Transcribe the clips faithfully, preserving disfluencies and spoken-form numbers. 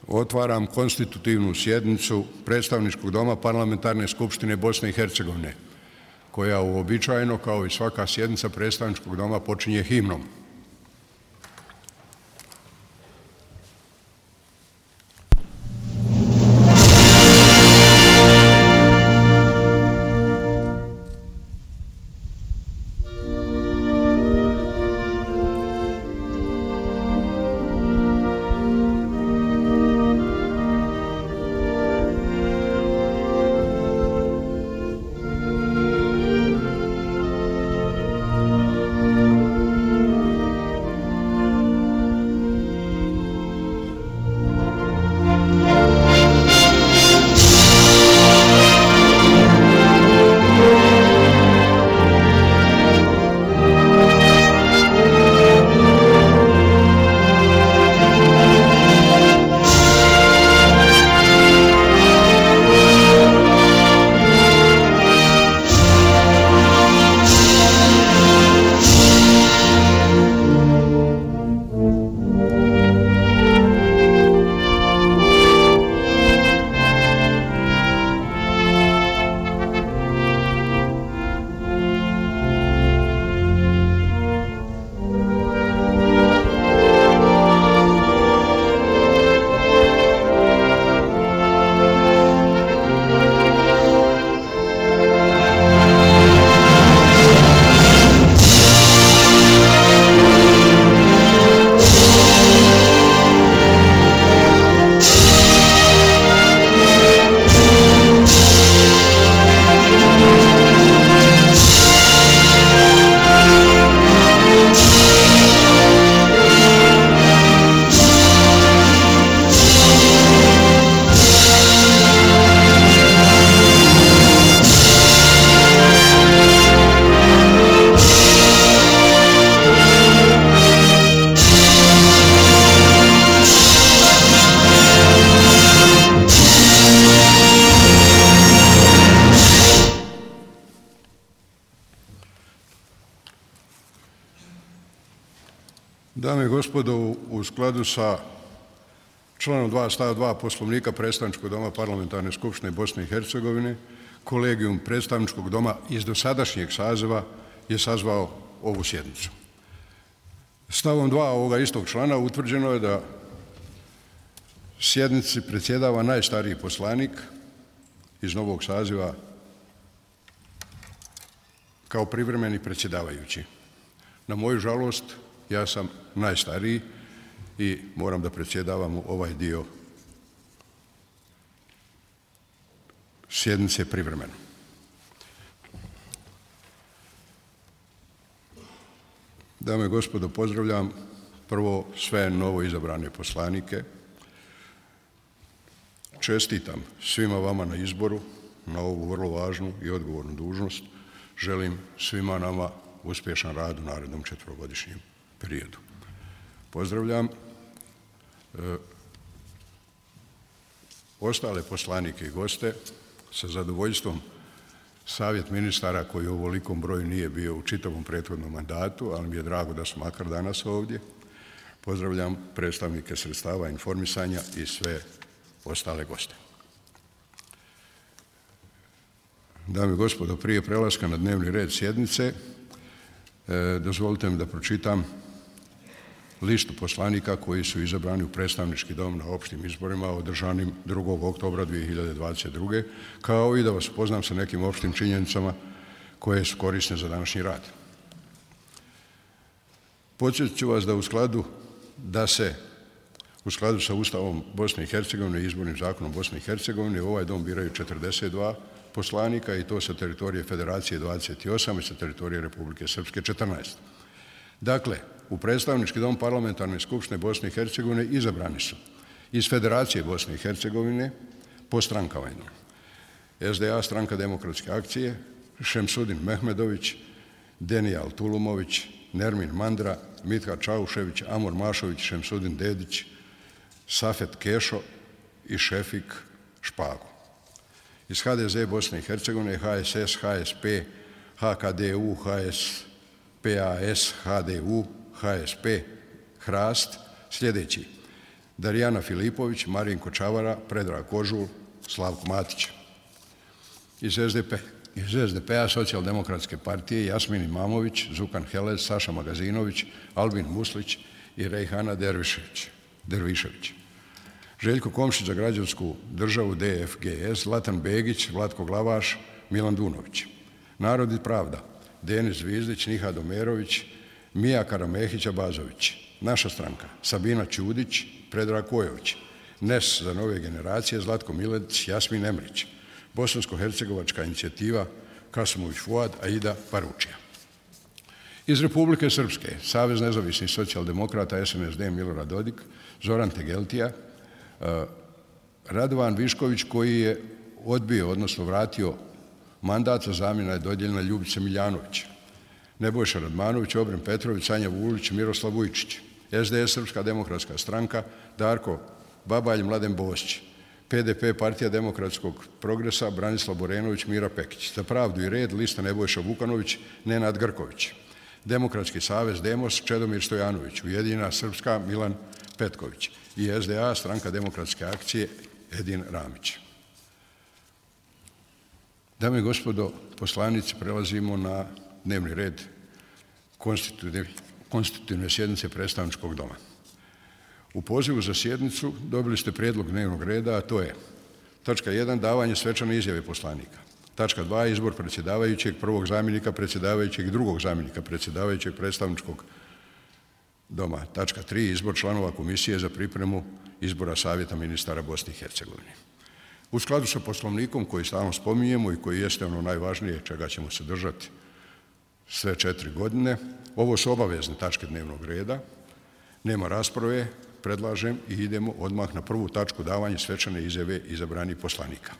Otvaram konstitutivnu sjednicu Predstavničkog doma Parlamentarne skupštine Bosne i Hercegovine, koja uobičajeno, kao i svaka sjednica Predstavničkog doma, počinje himnom. Dame i gospodo, u skladu sa članom dva stav dva Poslovnika Predstavničkog doma Parlamentarne skupštine Bosne i Hercegovine, kolegijum Predstavničkog doma iz dosadašnjeg saziva je sazvao ovu sjednicu. Stavom dva ovoga istog člana utvrđeno je da sjednici predsjedava najstariji poslanik iz novog saziva kao privremeni predsjedavajući. Na moju žalost, ja sam najstariji i moram da predsjedavam u ovaj dio sjednice privremeno. Dame i gospodo, pozdravljam prvo sve novo izabrane poslanike. Čestitam svima vama na izboru, na ovu vrlo važnu i odgovornu dužnost. Želim svima nama uspješan rad u narednom četvrogodišnjem periodu. Pozdravljam e, ostale poslanike i goste. Sa zadovoljstvom Savjet ministara, koji u ovolikom broju nije bio u čitavom prethodnom mandatu, ali mi je drago da su makar danas ovdje. Pozdravljam predstavnike sredstava informisanja i sve ostale goste. Dame i gospodo, prije prelaska na dnevni red sjednice, e, dozvolite mi da pročitam listu poslanika koji su izabrani u predstavnički dom na opštim izborima održanim drugog oktobra dvije hiljade dvadeset druge. kao i da vas upoznam sa nekim opštim činjenicama koje su korisne za današnji rad. Podsjetit ću vas da u skladu da se u skladu sa Ustavom Bosne i Hercegovine i izbornim zakonom Bosne i Hercegovine u ovaj dom biraju četrdeset dva poslanika, i to sa teritorije Federacije dvadeset osam i sa teritorije Republike Srpske četrnaest. Dakle, u Predstavnički dom Parlamentarne skupštine Bosne i Hercegovine izabrani su iz Federacije Bosne i Hercegovine po strankama: S D A, Stranka demokratske akcije, Šemsudin Mehmedović, Denijal Tulumović, Nermin Mandra, Mitka Čaušević, Amor Mašović, Šemsudin Dedić, Safet Kešo i Šefik Špago. Iz H D Z Bosne i Hercegovine, H S S, H S P, H K D U, H S P A S, H D U, H S P, Hrast, sljedeći: Darijana Filipović, Marinko Čavara, Predrag Kožul, Slavko Matić. Iz S D P, iz S D P-a Socijaldemokratske partije Jasmin Imamović, Zukan Helez, Saša Magazinović, Albin Muslić i Rejhana Dervišević. Dervišević. Željko Komšić za građansku državu D F G S, Zlatan Begić, Vlatko Glavaš, Milan Dunović. Narod i pravda, Denis Zvizdić, Niha Domerović, Mija Karamehića Bazović. Naša stranka, Sabina Ćudić, Predrag Kojović. N E S za nove generacije, Zlatko Miletić, Jasmin Emrić. Bosansko-hercegovačka inicijativa, Kasimović Fuad, Aida Paručija. Iz Republike Srpske, Savez nezavisnih socijaldemokrata, S N S D, Milorad Dodik, Zoran Tegeltija, Radovan Višković koji je odbio, odnosno vratio mandat, za zamjena je dodijeljena Ljubica Miljanović. Nebojša Radmanović, Obren Petrović, Sanja Vulić, Miroslav Vujčić. S D S, Srpska demokratska stranka, Darko Babalj, Mladen Bosć. P D P, Partija demokratskog progresa, Branislav Borenović, Mira Pekić. Za pravdu i red, lista Nebojša Vukanović, Nenad Grković. Demokratski savez, Demos, Čedomir Stojanović. Ujedinjena Srpska, Milan Petković. I S D A, Stranka demokratske akcije, Edin Ramić. Dame i gospodo poslanici, prelazimo na dnevni red konstitutivne sjednice predstavničkog doma. U pozivu za sjednicu dobili ste prijedlog dnevnog reda, a to je tačka jedan. Davanje svečane izjave poslanika. Tačka dva. Izbor predsjedavajućeg, prvog zamjenika predsjedavajućeg i drugog zamjenika predsjedavajućeg predstavničkog doma. Tačka tri. Izbor članova komisije za pripremu izbora Savjeta ministara Bosne i Hercegovine. U skladu sa poslovnikom koji stalno spominjemo i koji jeste ono najvažnije čega ćemo se držati sve četiri godine, ovo su obavezne tačke dnevnog reda, nema rasprave, predlažem i idemo odmah na prvu tačku, davanje svečane izjave izabranih poslanika.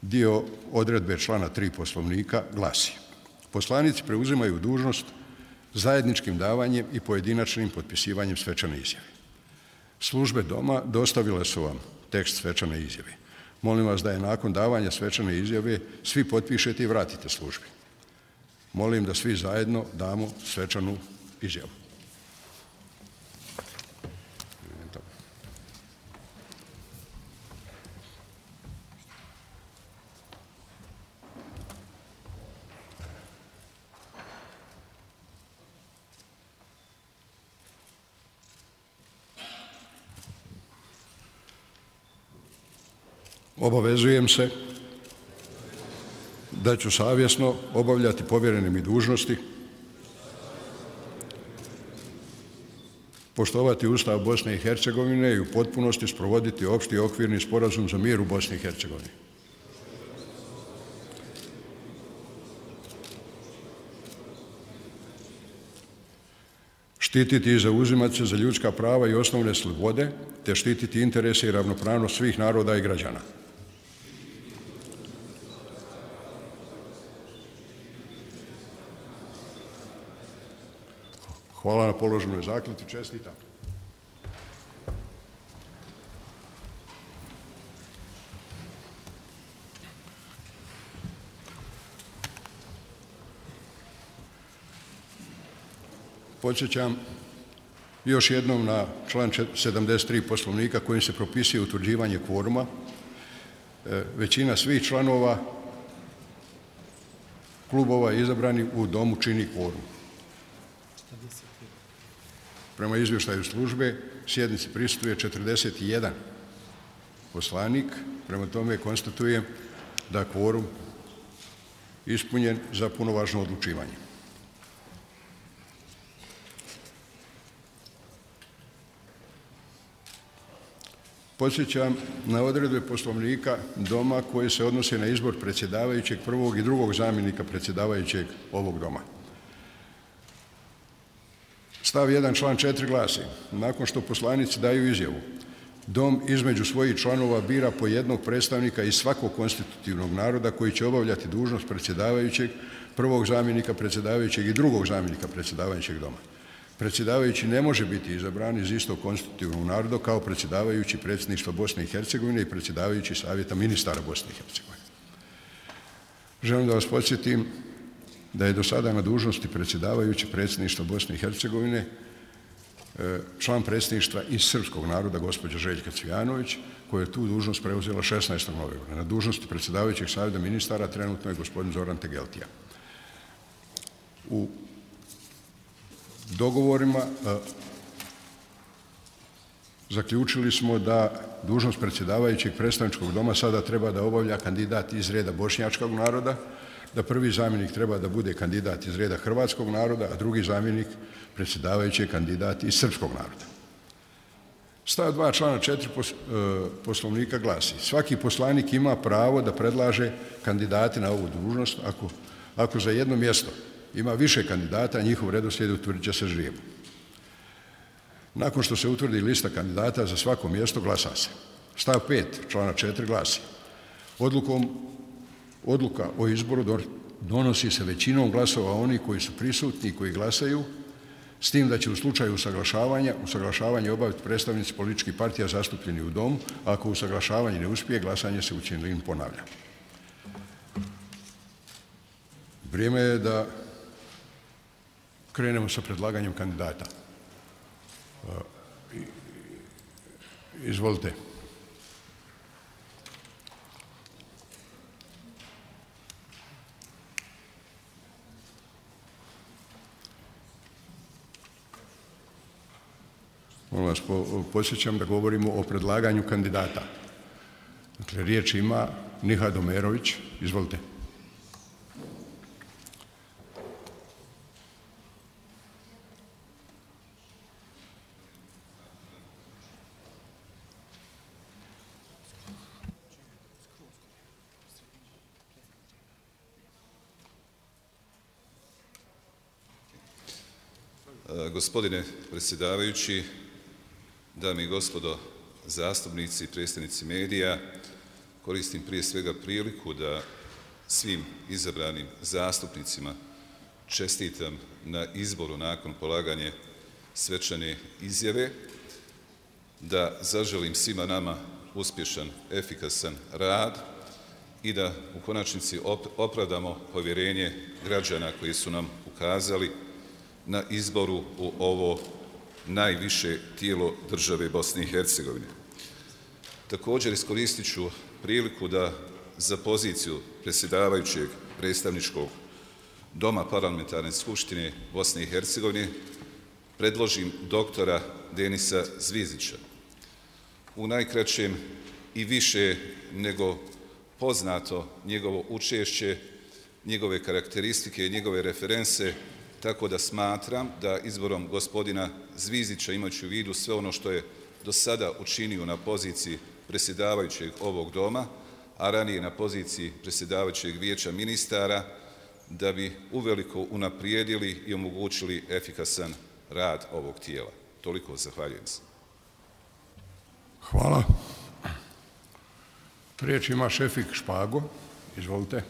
Dio odredbe člana tri poslovnika glasi: poslanici preuzimaju dužnost zajedničkim davanjem i pojedinačnim potpisivanjem svečane izjave. Službe doma dostavile su vam tekst svečane izjave. Molim vas da je nakon davanja svečane izjave svi potpišete i vratite službi. Molim da svi zajedno damo svečanu izjavu. Obavezujem se da ću savjesno obavljati povjerene mi dužnosti, poštovati Ustav Bosne i Hercegovine i u potpunosti sprovoditi opšti okvirni sporazum za mir u Bosni i Hercegovini. Štititi i zauzimati se za ljudska prava i osnovne slobode, te štititi interese i ravnopravnost svih naroda i građana. Hvala na položenoj zakletvi, čestitam. Podsjećam još jednom na član sedamdeset tri poslovnika kojim se propisuje utvrđivanje kvoruma. Većina svih članova klubova izabrani u domu čini kvorum. Prema izvještaju službe, sjednici prisustvuje četrdeset jedan poslanik, prema tome konstatujem da kvorum ispunjen za punovažno odlučivanje. Podsjećam na odredbe poslovnika doma koje se odnose na izbor predsjedavajućeg, prvog i drugog zamjenika predsjedavajućeg ovog doma. Stav jedan, član četiri glasi: nakon što poslanici daju izjavu, dom između svojih članova bira po jednog predstavnika iz svakog konstitutivnog naroda koji će obavljati dužnost predsjedavajućeg, prvog zamjenika predsjedavajućeg i drugog zamjenika predsjedavajućeg doma. Predsjedavajući ne može biti izabran iz istog konstitutivnog naroda kao predsjedavajući predsjedništva Bosne i Hercegovine i predsjedavajući Savjeta ministara Bosne i Hercegovine. Želim da vas podsjetim da je do sada na dužnosti predsjedavajući predsjedništva Bosne i Hercegovine član predsjedništva iz srpskog naroda, gospođa Željka Cvijanović, koja je tu dužnost preuzela šesnaestog novembra. Na dužnosti predsjedavajućeg savjeta ministara trenutno je gospodin Zoran Tegeltija. U dogovorima zaključili smo da dužnost predsjedavajućeg predstavničkog doma sada treba da obavlja kandidat iz reda bošnjačkog naroda, da prvi zamjenik treba da bude kandidat iz reda hrvatskog naroda, a drugi zamjenik predsjedavajući je kandidat iz srpskog naroda. Stav dva člana četiri poslovnika glasi: svaki poslanik ima pravo da predlaže kandidate na ovu dužnost ako, ako za jedno mjesto ima više kandidata, njihov redoslijed utvrdit će se ždrijebom. Nakon što se utvrdi lista kandidata za svako mjesto, glasa se. Stav pet člana četiri glasi: odlukom Odluka o izboru donosi se većinom glasova onih koji su prisutni i koji glasaju, s tim da će u slučaju usaglašavanja, usaglašavanje obaviti predstavnici političkih partija zastupljeni u domu, a ako usaglašavanje ne uspije, glasanje se u cjelini ponavlja. Vrijeme je da krenemo sa predlaganjem kandidata. Izvolite. Molim vas, podsjećam da govorimo o predlaganju kandidata. Dakle, riječ ima Nihad Omerović. Izvolite. Gospodine predsjedavajući, dame i gospodo zastupnici i predstavnici medija, koristim prije svega priliku da svim izabranim zastupnicima čestitam na izboru nakon polaganja svečane izjave, da zaželim svima nama uspješan, efikasan rad i da u konačnici opravdamo povjerenje građana koji su nam ukazali na izboru u ovo najviše tijelo države Bosne i Hercegovine. Također iskoristit ću priliku da za poziciju predsjedavajućeg predstavničkog doma Parlamentarne skupštine Bosne i Hercegovine predložim doktora Denisa Zvizdića. U najkraćem i više nego poznato njegovo učešće, njegove karakteristike i njegove referense, tako da smatram da izborom gospodina Zvizdića, imajući u vidu sve ono što je do sada učinio na poziciji predsjedavajućeg ovog doma, a ranije na poziciji predsjedavajućeg vijeća ministara, da bi uveliko unaprijedili i omogućili efikasan rad ovog tijela. Toliko, zahvaljujem se. Hvala. Riječ ima Šefik Špago. Izvolite.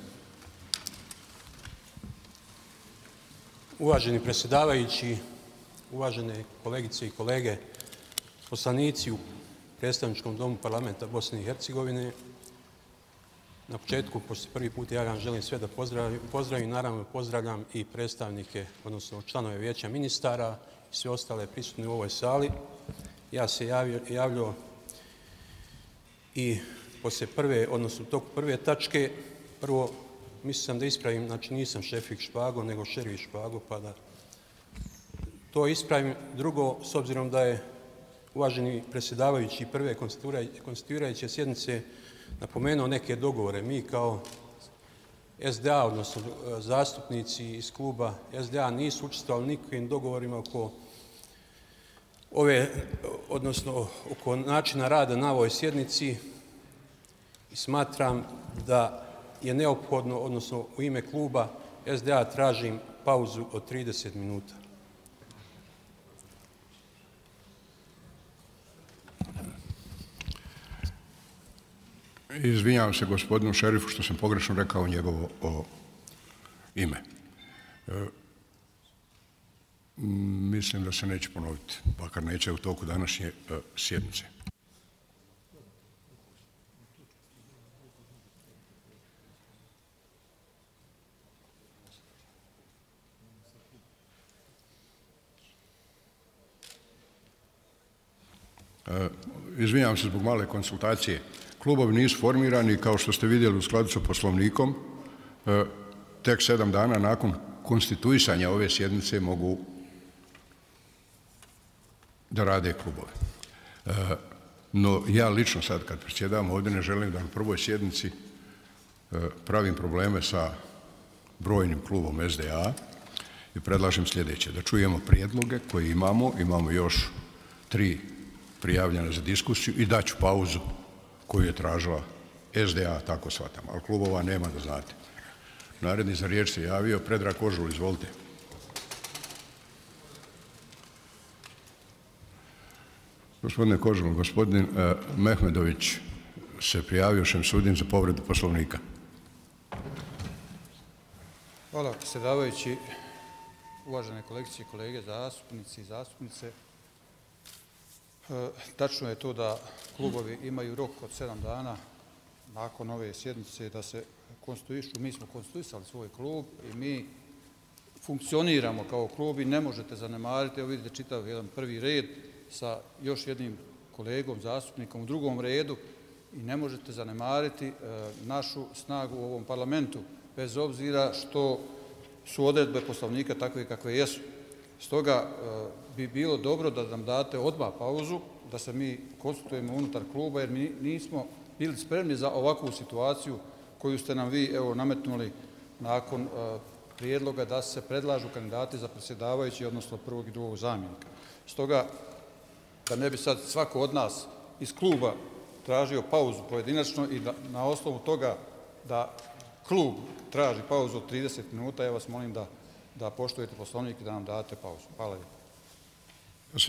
Uvaženi predsjedavajući, uvažene kolegice i kolege, poslanici u predstavničkom domu parlamenta Bosne i Hercegovine, na početku, pošto prvi put ja vam želim sve da pozdravim, pozdravim, naravno pozdravljam i predstavnike, odnosno članove vijeća ministara i sve ostale prisutne u ovoj sali. Ja se javio, javljao i poslije prve, odnosno tog prve tačke, prvo mislio sam da ispravim, znači nisam Šefik Špago, nego Šerif Špago, pa da to ispravim. Drugo, s obzirom da je uvaženi predsjedavajući prve konstituirajuće sjednice napomenuo neke dogovore, mi kao S D A, odnosno zastupnici iz kluba S D A, nisu učestvovali nikakvim dogovorima oko ove, odnosno oko načina rada na ovoj sjednici i smatram da je neophodno, odnosno u ime kluba S D A tražim pauzu od trideset minuta. Izvinjavam se gospodinu Šerifu što sam pogrešno rekao njegovo o ime. E, mislim da se neće ponoviti, pakar neće u toku današnje e, sjednice. Izvinjavam se zbog male konsultacije. Klubovi nisu formirani, kao što ste vidjeli u skladu sa poslovnikom, tek sedam dana nakon konstituisanja ove sjednice mogu da rade klubove. No ja lično sad kad predsjedam ovdje ne želim da na prvoj sjednici pravim probleme sa brojnim klubom S D A i predlažem sljedeće, da čujemo prijedloge koje imamo, imamo još tri prijavljene za diskusiju i daću pauzu koju je tražila S D A, tako shvatam, ali klubova nema, da znate. Naredni za riječ se javio Predrag Kožul, izvolite. Gospodine Kožul, gospodin Mehmedović se prijavio Šemsudin za povredu poslovnika. Hvala, predsjedavajući, uvažene kolegice i kolege, zastupnici i zastupnice. Tačno je to da klubovi imaju rok od sedam dana nakon ove sjednice da se konstituišu. Mi smo konstituisali svoj klub i mi funkcioniramo kao klub i ne možete zanemariti. Evo vidite čitav jedan prvi red sa još jednim kolegom, zastupnikom u drugom redu i ne možete zanemariti našu snagu u ovom parlamentu, bez obzira što su odredbe poslovnika takve kakve jesu. Stoga bi bilo dobro da nam date odmah pauzu, da se mi konsultujemo unutar kluba, jer mi nismo bili spremni za ovakvu situaciju koju ste nam vi evo nametnuli nakon prijedloga da se predlažu kandidati za predsjedavajući, odnosno prvog i drugog zamjenika. Stoga, da ne bi sad svako od nas iz kluba tražio pauzu pojedinačno i da, na osnovu toga da klub traži pauzu od trideset minuta, ja vas molim da, da poštujete poslovnik i da nam date pauzu. Hvala lijepo.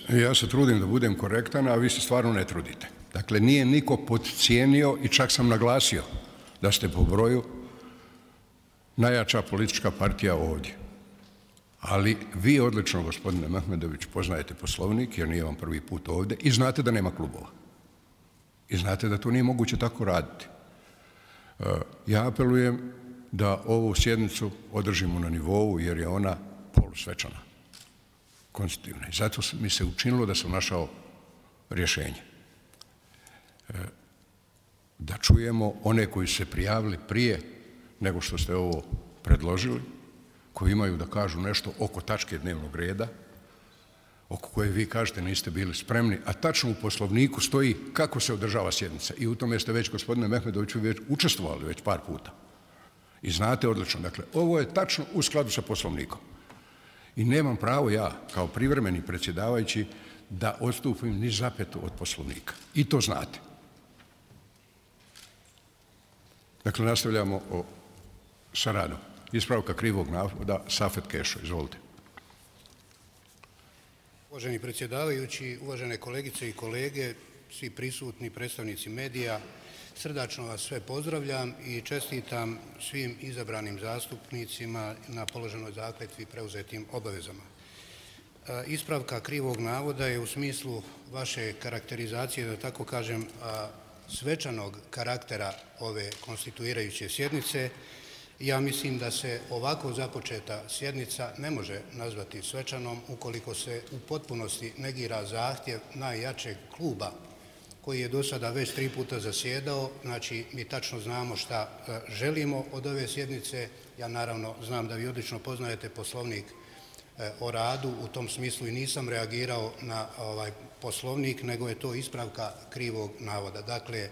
Ja se trudim da budem korektan, a vi se stvarno ne trudite. Dakle, nije niko podcijenio i čak sam naglasio da ste po broju najjača politička partija ovdje. Ali vi odlično, gospodine Mehmedović, poznajete poslovnik, jer nije vam prvi put ovdje, i znate da nema klubova. I znate da to nije moguće tako raditi. Ja apelujem da ovu sjednicu održimo na nivou, jer je ona polusvečana, konstitutivna. I zato mi se učinilo da sam našao rješenje. Da čujemo one koji su se prijavili prije nego što ste ovo predložili, koji imaju da kažu nešto oko tačke dnevnog reda, oko koje vi kažete niste bili spremni, a tačno u poslovniku stoji kako se održava sjednica. I u tome ste već, gospodine Mehmedoviću, već učestvovali već par puta. I znate odlično. Dakle, ovo je tačno u skladu sa poslovnikom. I nemam pravo ja, kao privremeni predsjedavajući, da odstupim ni zapetu od poslovnika. I to znate. Dakle, nastavljamo o, sa radom. Ispravka krivog navoda, Safet Kešo, izvolite. Uvaženi predsjedavajući, uvažene kolegice i kolege, svi prisutni predstavnici medija, srdačno vas sve pozdravljam i čestitam svim izabranim zastupnicima na položenoj zakletvi preuzetim obavezama. Ispravka krivog navoda je u smislu vaše karakterizacije, da tako kažem, svečanog karaktera ove konstituirajuće sjednice. Ja mislim da se ovako započeta sjednica ne može nazvati svečanom ukoliko se u potpunosti negira zahtjev najjačeg kluba koji je do sada već tri puta zasjedao. Znači, mi tačno znamo šta želimo od ove sjednice. Ja naravno znam da vi odlično poznajete poslovnik o radu, u tom smislu i nisam reagirao na ovaj poslovnik, nego je to ispravka krivog navoda. Dakle,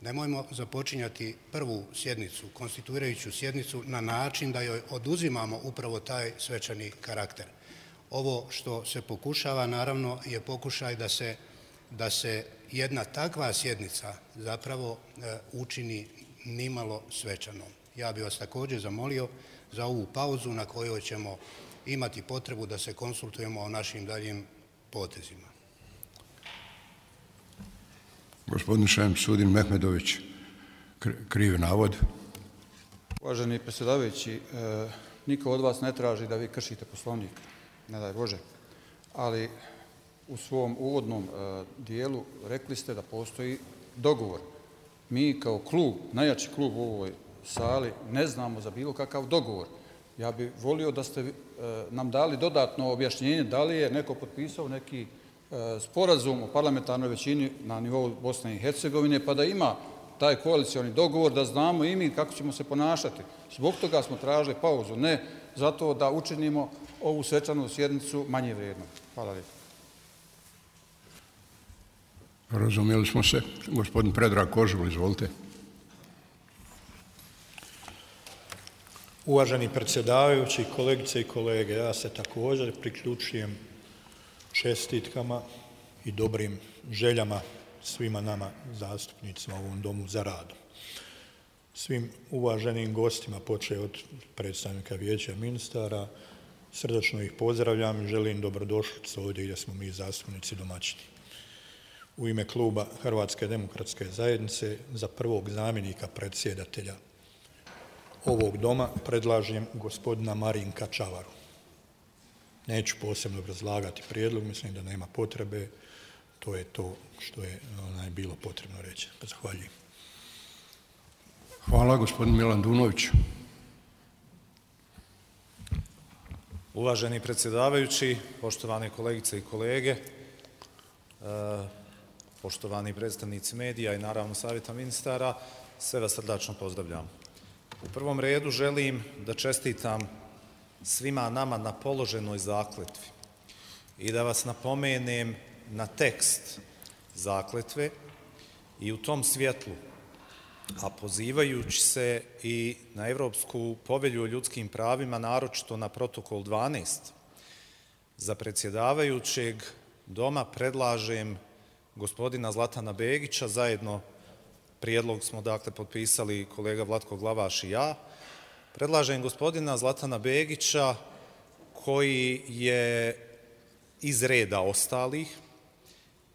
nemojmo započinjati prvu sjednicu, konstituirajuću sjednicu, na način da joj oduzimamo upravo taj svečani karakter. Ovo što se pokušava, naravno, je pokušaj da se, da se jedna takva sjednica zapravo e, učini nimalo svečanom. Ja bih vas također zamolio za ovu pauzu na kojoj ćemo imati potrebu da se konsultujemo o našim daljim potezima. Gospodin Šemsudin Mehmedović, krivi navod. Uvaženi predsjedavajući, niko od vas ne traži da vi kršite poslovnik, ne daj Bože, ali u svom uvodnom dijelu rekli ste da postoji dogovor. Mi kao klub, najjači klub u ovoj sali, ne znamo za bilo kakav dogovor. Ja bih volio da ste nam dali dodatno objašnjenje da li je neko potpisao neki sporazum o parlamentarnoj većini na nivou Bosne i Hercegovine, pa da ima taj koalicioni dogovor, da znamo i mi kako ćemo se ponašati. Zbog toga smo tražili pauzu, ne zato da učinimo ovu svečanu sjednicu manje vrijednom. Hvala lijepo. Razumijeli smo se. Gospodin Predrag Kožul, izvolite. Uvaženi predsjedavajući, kolegice i kolege, ja se također priključujem čestitkama i dobrim željama svima nama zastupnicima u ovom domu za radom. Svim uvaženim gostima, počeo od predstavnika Vijeća ministara, srdačno ih pozdravljam i želim dobrodošlicu ovdje gdje smo mi zastupnici domaćini. U ime kluba Hrvatske demokratske zajednice za prvog zamjenika predsjedatelja ovog doma predlažem gospodina Marinka Čavaru. Neću posebno obrazlagati prijedlog, mislim da nema potrebe, to je to što je onaj, bilo potrebno reći. Zahvaljujem. Hvala, gospodin Milan Dunović. Uvaženi predsjedavajući, poštovane kolegice i kolege, poštovani predstavnici medija i naravno savjeta ministara, sve vas srdačno pozdravljam. U prvom redu želim da čestitam svima nama na položenoj zakletvi i da vas napomenem na tekst zakletve i u tom svjetlu, a pozivajući se i na Evropsku povelju o ljudskim pravima, naročito na protokol dvanaest, za predsjedavajućeg doma predlažem gospodina Zlatana Begića, zajedno prijedlog smo dakle potpisali kolega Vlatko Glavaš i ja, predlažem gospodina Zlatana Begića koji je iz reda ostalih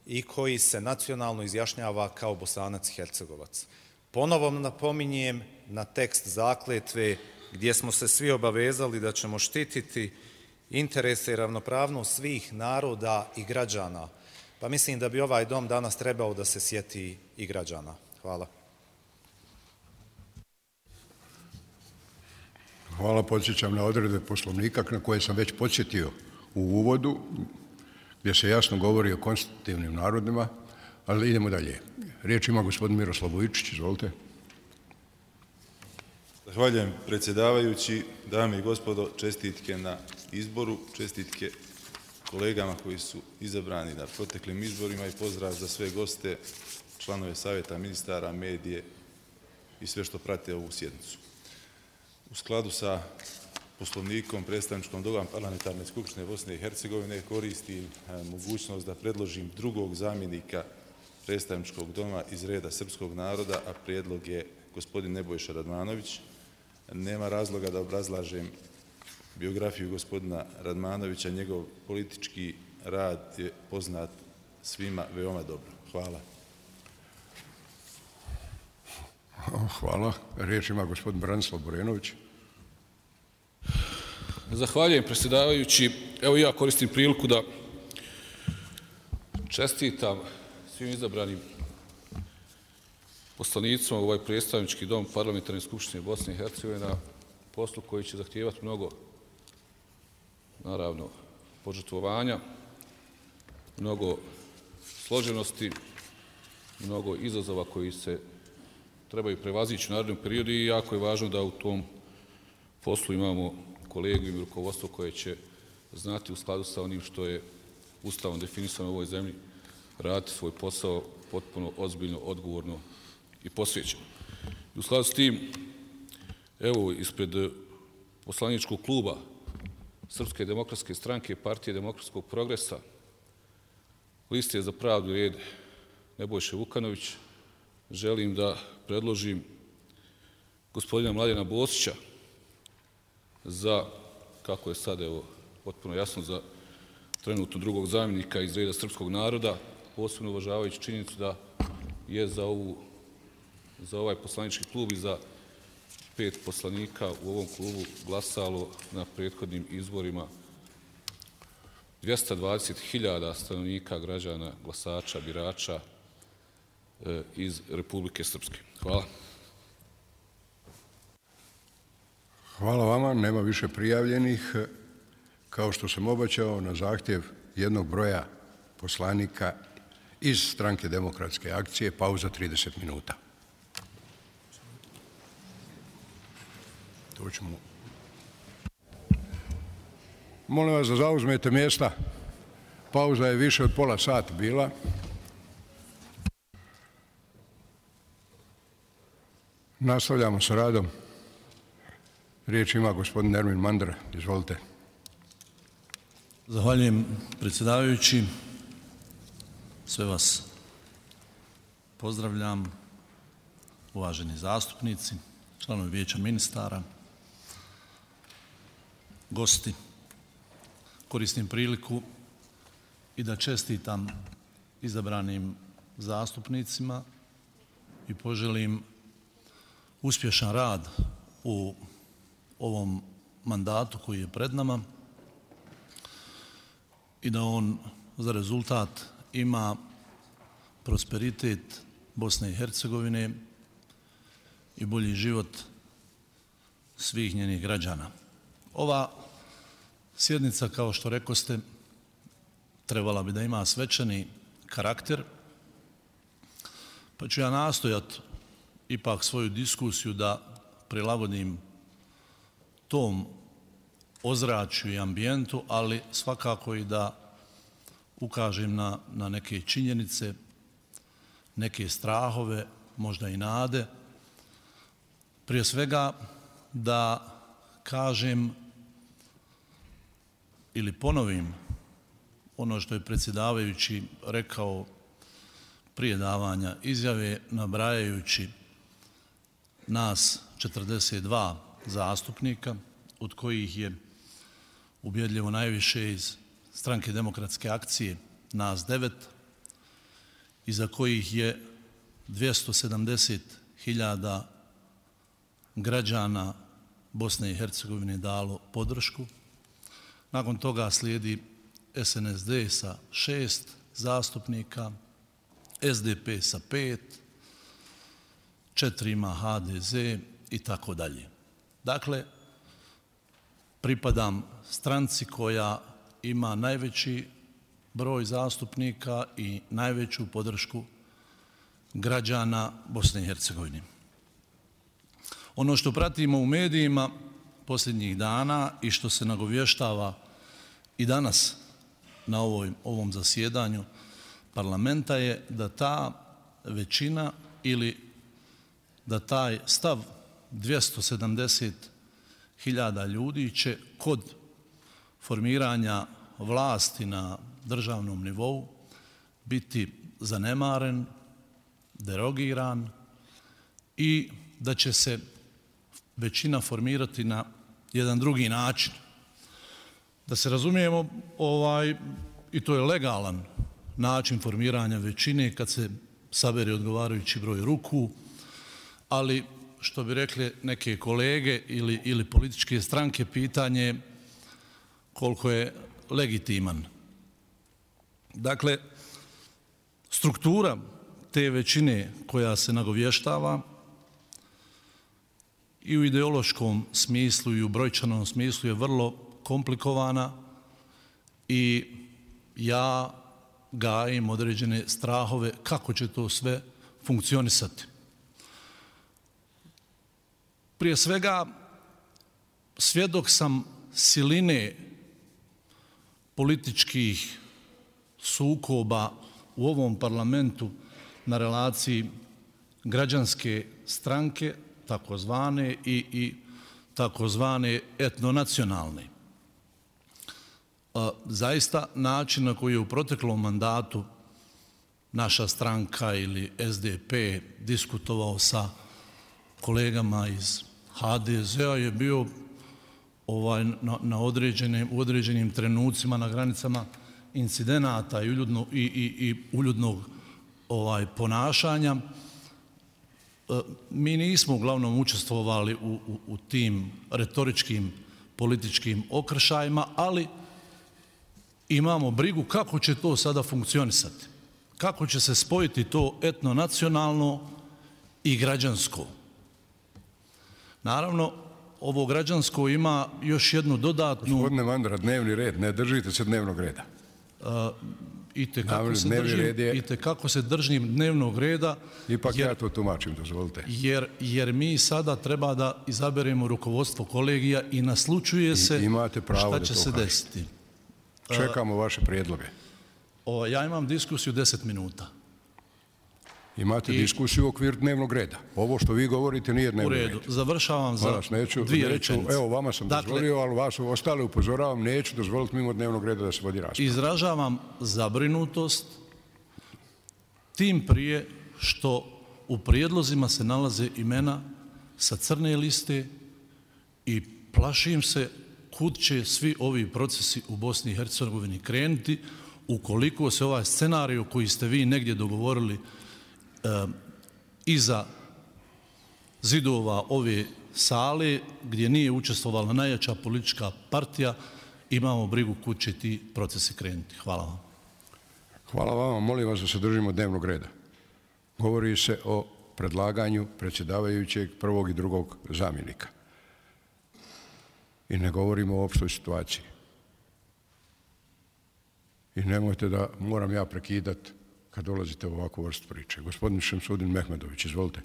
i koji se nacionalno izjašnjava kao Bosanac i Hercegovac. Ponovo napominjem na tekst zakletve gdje smo se svi obavezali da ćemo štititi interese i ravnopravnost svih naroda i građana. Pa mislim da bi ovaj dom danas trebao da se sjeti i građana. Hvala. Hvala, podsjećam na odredbe Poslovnika na koje sam već podsjetio u uvodu, gdje se jasno govori o konstitutivnim narodima, ali idemo dalje. Riječ ima gospodin Miroslav Vujičić, izvolite. Zahvaljujem predsjedavajući, dame i gospodo, čestitke na izboru, čestitke kolegama koji su izabrani na proteklim izborima i pozdrav za sve goste, članove savjeta ministara, medije i sve što prate ovu sjednicu. U skladu sa Poslovnikom predstavničkom doma Parlamentarne skupštine Bosne i Hercegovine koristim mogućnost da predložim drugog zamjenika predstavničkog doma iz reda srpskog naroda, a prijedlog je gospodin Nebojša Radmanović. Nema razloga da obrazlažem biografiju gospodina Radmanovića, njegov politički rad je poznat svima veoma dobro. Hvala. Hvala. Riječ ima gospodin Branislav Borenović. Zahvaljujem predsjedavajući. Evo ja koristim priliku da čestitam svim izabranim poslanicima u ovaj predstavnički dom Parlamentarne skupštine Bosne i Hercegovine na poslu koji će zahtijevati mnogo, naravno, požrtvovanja, mnogo složenosti, mnogo izazova koji se trebaju prevazići u narednom periodu i jako je važno da u tom poslu imamo kolegu i rukovodstvo koje će znati u skladu sa onim što je Ustavom definisano u ovoj zemlji raditi svoj posao potpuno ozbiljno, odgovorno i posvećeno. I u skladu s tim, evo, ispred poslaničkog kluba Srpske demokratske stranke, Partije demokratskog progresa, liste za pravdu i red Nebojše Vukanović, želim da predložim gospodina Mladena Bosića za, kako je sad, evo, potpuno jasno, za trenutno drugog zamjenika iz reda srpskog naroda, posebno uvažavajući činjenicu da je za, ovu, za ovaj poslanički klub i za pet poslanika u ovom klubu glasalo na prethodnim izborima dvjesto dvadeset hiljada stanovnika, građana, glasača, birača e, iz Republike Srpske. Hvala. Hvala vama, nema više prijavljenih. Kao što sam obećao, na zahtjev jednog broja poslanika iz Stranke demokratske akcije, pauza trideset minuta. To ćemo... Molim vas da zauzmete mjesta. Pauza je više od pola sata bila. Nastavljamo sa radom. Riječ ima gospodin Nermin Mandra. Izvolite. Zahvaljujem predsjedavajući. Sve vas pozdravljam. Uvaženi zastupnici, članovi vijeća ministara, gosti. Koristim priliku i da čestitam izabranim zastupnicima i poželim uspješan rad u ovom mandatu koji je pred nama i da on za rezultat ima prosperitet Bosne i Hercegovine i bolji život svih njenih građana. Ova sjednica, kao što rekoste, trebala bi da ima svečani karakter, pa ću ja nastojati ipak svoju diskusiju da prilagodim tom ozračju i ambijentu, ali svakako i da ukažem na, na neke činjenice, neke strahove, možda i nade. Prije svega da kažem ili ponovim ono što je predsjedavajući rekao prije davanja izjave, nabrajajući nas četrdeset dva zastupnika, od kojih je ubjedljivo najviše iz Stranke demokratske akcije, nas devet, iza kojih je dvjesto sedamdeset hiljada građana Bosne i Hercegovine dalo podršku. Nakon toga slijedi S N S D sa šest zastupnika, S D P sa pet, četiri ima H D Z i tako dalje. Dakle, pripadam stranci koja ima najveći broj zastupnika i najveću podršku građana Bosne i Hercegovine. Ono što pratimo u medijima posljednjih dana i što se nagovještava i danas na ovoj, ovom zasjedanju parlamenta je da ta većina ili da taj stav dvjesto sedamdeset hiljada ljudi će kod formiranja vlasti na državnom nivou biti zanemaren, derogiran i da će se većina formirati na jedan drugi način. Da se razumijemo, ovaj, i to je legalan način formiranja većine kad se sabere odgovarajući broj ruku, ali što bi rekli neke kolege ili, ili političke stranke, pitanje koliko je legitiman. Dakle, struktura te većine koja se nagovještava i u ideološkom smislu i u brojčanom smislu je vrlo komplikovana i ja gajim određene strahove kako će to sve funkcionisati. Prije svega, svjedok sam siline političkih sukoba u ovom parlamentu na relaciji građanske stranke, takozvane i, i takozvane etnonacionalne. Zaista način na koji je u proteklom mandatu naša stranka ili S D P diskutovao sa kolegama iz H D Z-a je bio ovaj, na, na određenim, u određenim trenucima na granicama incidenata i, uljudno, i, i, i uljudnog ovaj, ponašanja. Mi nismo uglavnom učestvovali u, u, u tim retoričkim političkim okršajima, ali imamo brigu kako će to sada funkcionisati. Kako će se spojiti to etnonacionalno i građansko. Naravno, ovo građansko ima još jednu dodatnu... Gospodine Mandra, dnevni red, ne držite se dnevnog reda. i tekako se držim, i tekako se držim dnevnog reda. Ipak ja to tumačim, dozvolite. Jer, jer mi sada treba da izaberemo rukovodstvo kolegija i naslučuje se šta će se desiti. Čekamo vaše prijedloge. O, ja imam diskusiju deset minuta. Imate diskusiju u okviru dnevnog reda. Ovo što vi govorite nije dnevnog reda. U redu, završavam za dvije rečenice. Evo, vama sam dozvolio, ali vas ostale upozoravam, neću dozvoliti mimo dnevnog reda da se vodi rasprava. Izražavam zabrinutost tim prije što u prijedlozima se nalaze imena sa crne liste i plašim se kud će svi ovi procesi u Bosni i Hercegovini krenuti ukoliko se ovaj scenarij koji ste vi negdje dogovorili iza zidova ove sale gdje nije učestvovala najjača politička partija, imamo brigu kud će ti procesi krenuti. Hvala vam. Hvala vama. Molim vas da se držimo dnevnog reda. Govori se o predlaganju predsjedavajućeg prvog i drugog zamjenika. I ne govorimo o opštoj situaciji. I nemojte da moram ja prekidati kad dolazite u ovakvu vrstu priče. Gospodin Šemsudin Mehmedović, izvolite.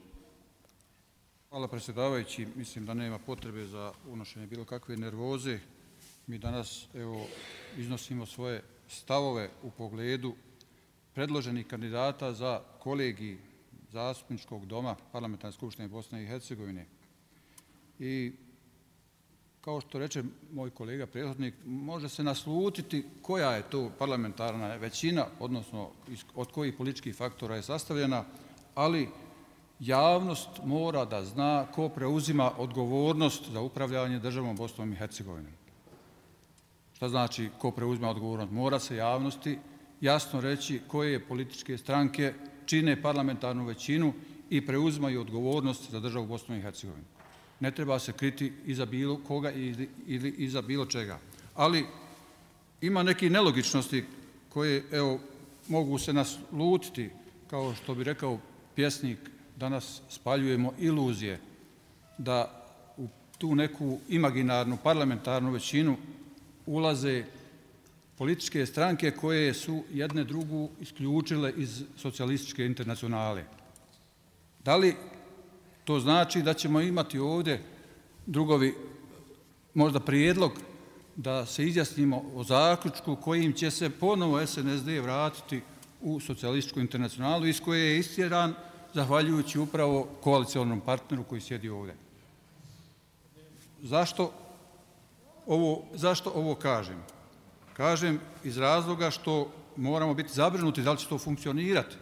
Hvala predsjedavajući. Mislim da nema potrebe za unošenje bilo kakve nervoze. Mi danas evo, iznosimo svoje stavove u pogledu predloženih kandidata za kolegij zastupničkog doma Parlamentarne skupštine Bosne i Hercegovine. I kao što reče moj kolega prethodnik, može se naslutiti koja je to parlamentarna većina, odnosno od kojih političkih faktora je sastavljena, ali javnost mora da zna ko preuzima odgovornost za upravljanje državom Bosnom i Hercegovinom. Šta znači ko preuzima odgovornost? Mora se javnosti jasno reći koje političke stranke čine parlamentarnu većinu i preuzimaju odgovornost za državu Bosnu i Hercegovinu. Ne treba se kriti iza bilo koga ili iza bilo čega. Ali ima neke nelogičnosti koje evo, mogu se naslutiti, kao što bi rekao pjesnik, danas spaljujemo iluzije da u tu neku imaginarnu parlamentarnu većinu ulaze političke stranke koje su jedne drugu isključile iz socijalističke internacionale. Da li to znači da ćemo imati ovdje drugovi možda prijedlog da se izjasnimo o zaključku kojim će se ponovo es en es de vratiti u socijalističku internacionalu iz koje je istjeran zahvaljujući upravo koalicijalnom partneru koji sjedi ovdje. Zašto ovo, zašto ovo kažem? Kažem iz razloga što moramo biti zabrinuti da li će to funkcionirati.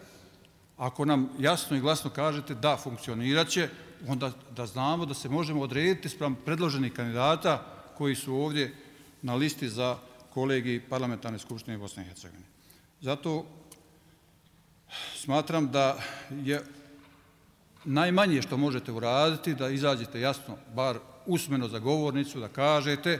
Ako nam jasno i glasno kažete da funkcionirat će, onda da znamo da se možemo odrediti sprem predloženih kandidata koji su ovdje na listi za kolegij Parlamentarne skupštine Bosne i Hercegovine. Zato smatram da je najmanje što možete uraditi da izađete jasno, bar usmeno za govornicu, da kažete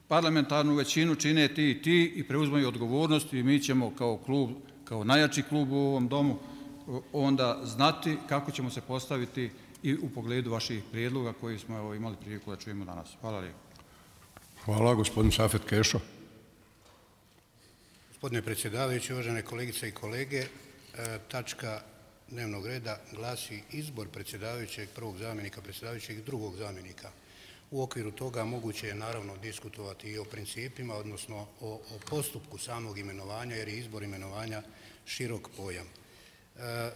parlamentarnu većinu čine ti i ti i preuzmaju odgovornost i mi ćemo kao klub, kao najjači klub u ovom domu onda znati kako ćemo se postaviti i u pogledu vaših prijedloga koji smo evo, imali priliku da čujemo danas. Hvala lijepo. Hvala, gospodin Safet Kešo. Gospodine predsjedavajući, uvažene kolegice i kolege, tačka dnevnog reda glasi izbor predsjedavajućeg, prvog zamjenika predsjedavajućeg i drugog zamjenika. U okviru toga moguće je naravno diskutovati i o principima, odnosno o, o postupku samog imenovanja, jer je izbor imenovanja širok pojam. E,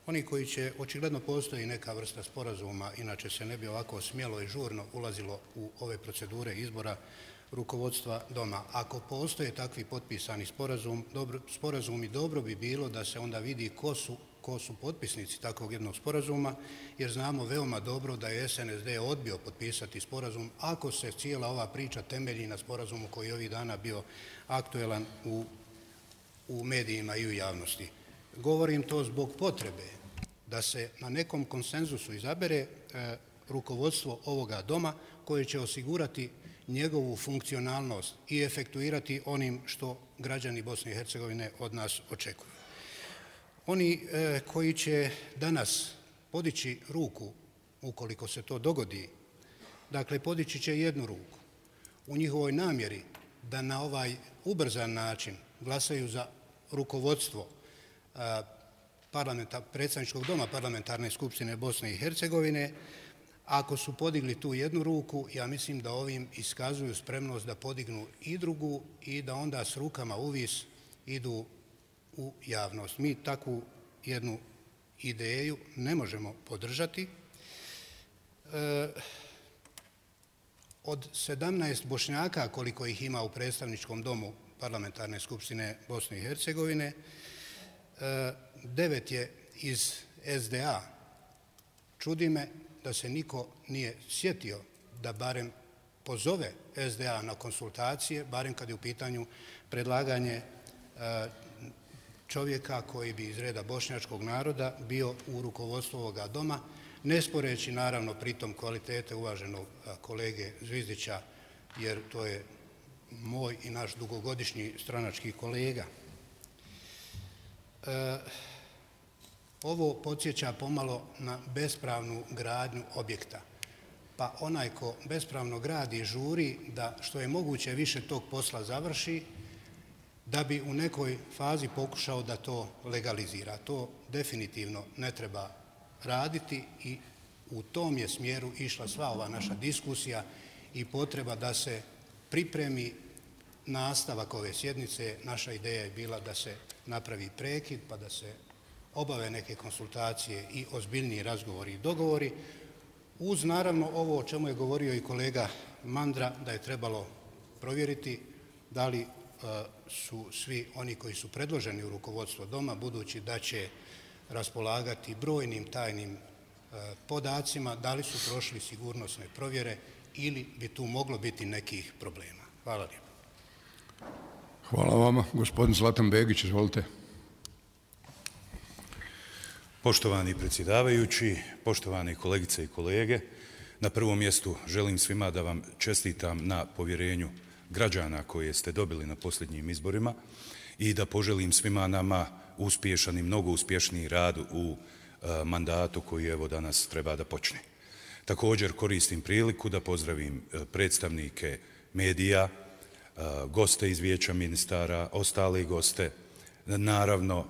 oni koji će, očigledno postoji neka vrsta sporazuma, inače se ne bi ovako smjelo i žurno ulazilo u ove procedure izbora rukovodstva doma. Ako postoje takvi potpisani sporazum, dobro, sporazumi, dobro bi bilo da se onda vidi ko su, ko su potpisnici takvog jednog sporazuma, jer znamo veoma dobro da je es en es de odbio potpisati sporazum ako se cijela ova priča temelji na sporazumu koji je ovih dana bio aktuelan u, u medijima i u javnosti. Govorim to zbog potrebe da se na nekom konsenzusu izabere e, rukovodstvo ovoga doma koje će osigurati njegovu funkcionalnost i efektuirati onim što građani Bosne i Hercegovine od nas očekuju. Oni e, koji će danas podići ruku, ukoliko se to dogodi, dakle podići će jednu ruku u njihovoj namjeri da na ovaj ubrzan način glasaju za rukovodstvo predsjedničkog doma Parlamentarne skupštine Bosne i Hercegovine, ako su podigli tu jednu ruku, ja mislim da ovim iskazuju spremnost da podignu i drugu i da onda s rukama uvis idu u javnost. Mi takvu jednu ideju ne možemo podržati. Od sedamnaest Bošnjaka, koliko ih ima u predstavničkom domu Parlamentarne skupštine Bosne i Hercegovine, devet je iz S D A. Čudi me da se niko nije sjetio da barem pozove S D A na konsultacije, barem kad je u pitanju predlaganje čovjeka koji bi iz reda bošnjačkog naroda bio u rukovodstvu ovoga doma, ne sporeći naravno pritom kvalitete uvaženog kolege Zvizdića, jer to je moj i naš dugogodišnji stranački kolega. Ovo podsjeća pomalo na bespravnu gradnju objekta. Pa onaj ko bespravno gradi žuri da što je moguće više tog posla završi, da bi u nekoj fazi pokušao da to legalizira. To definitivno ne treba raditi i u tom je smjeru išla sva ova naša diskusija i potreba da se pripremi nastavak ove sjednice. Naša ideja je bila da se napravi prekid, pa da se obave neke konsultacije i ozbiljniji razgovori i dogovori, uz naravno ovo o čemu je govorio i kolega Mandra, da je trebalo provjeriti da li su svi oni koji su predloženi u rukovodstvo doma, budući da će raspolagati brojnim tajnim podacima, da li su prošli sigurnosne provjere ili bi tu moglo biti nekih problema. Hvala lijepo. Hvala vama. Gospodin Zlatan Begić, izvolite. Poštovani predsjedavajući, poštovane kolegice i kolege, na prvom mjestu želim svima da vam čestitam na povjerenju građana koje ste dobili na posljednjim izborima i da poželim svima nama uspješan i mnogo uspješniji rad u mandatu koji evo danas treba da počne. Također koristim priliku da pozdravim predstavnike medija, goste iz Vijeća ministara, ostale goste, naravno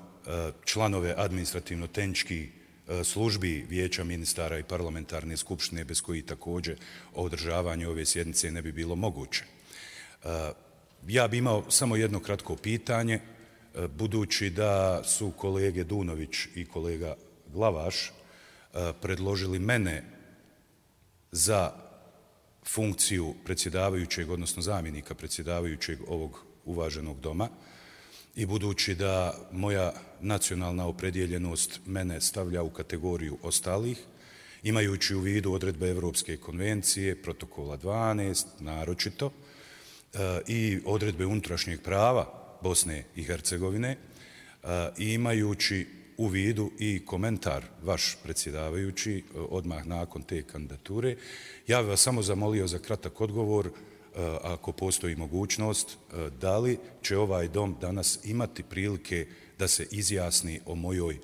članove administrativno-tehničkih službi Vijeća ministara i Parlamentarne skupštine, bez koji također održavanje ove sjednice ne bi bilo moguće. Ja bi imao samo jedno kratko pitanje, budući da su kolege Dunović i kolega Glavaš predložili mene za funkciju predsjedavajućeg, odnosno zamjenika predsjedavajućeg ovog uvaženog doma, i budući da moja nacionalna opredjeljenost mene stavlja u kategoriju ostalih, imajući u vidu odredbe Evropske konvencije, protokola dvanaest, naročito, i odredbe unutrašnjeg prava Bosne i Hercegovine, i imajući u vidu i komentar vaš predsjedavajući odmah nakon te kandidature, ja bih vas samo zamolio za kratak odgovor, ako postoji mogućnost, da li će ovaj dom danas imati prilike da se izjasni o mojoj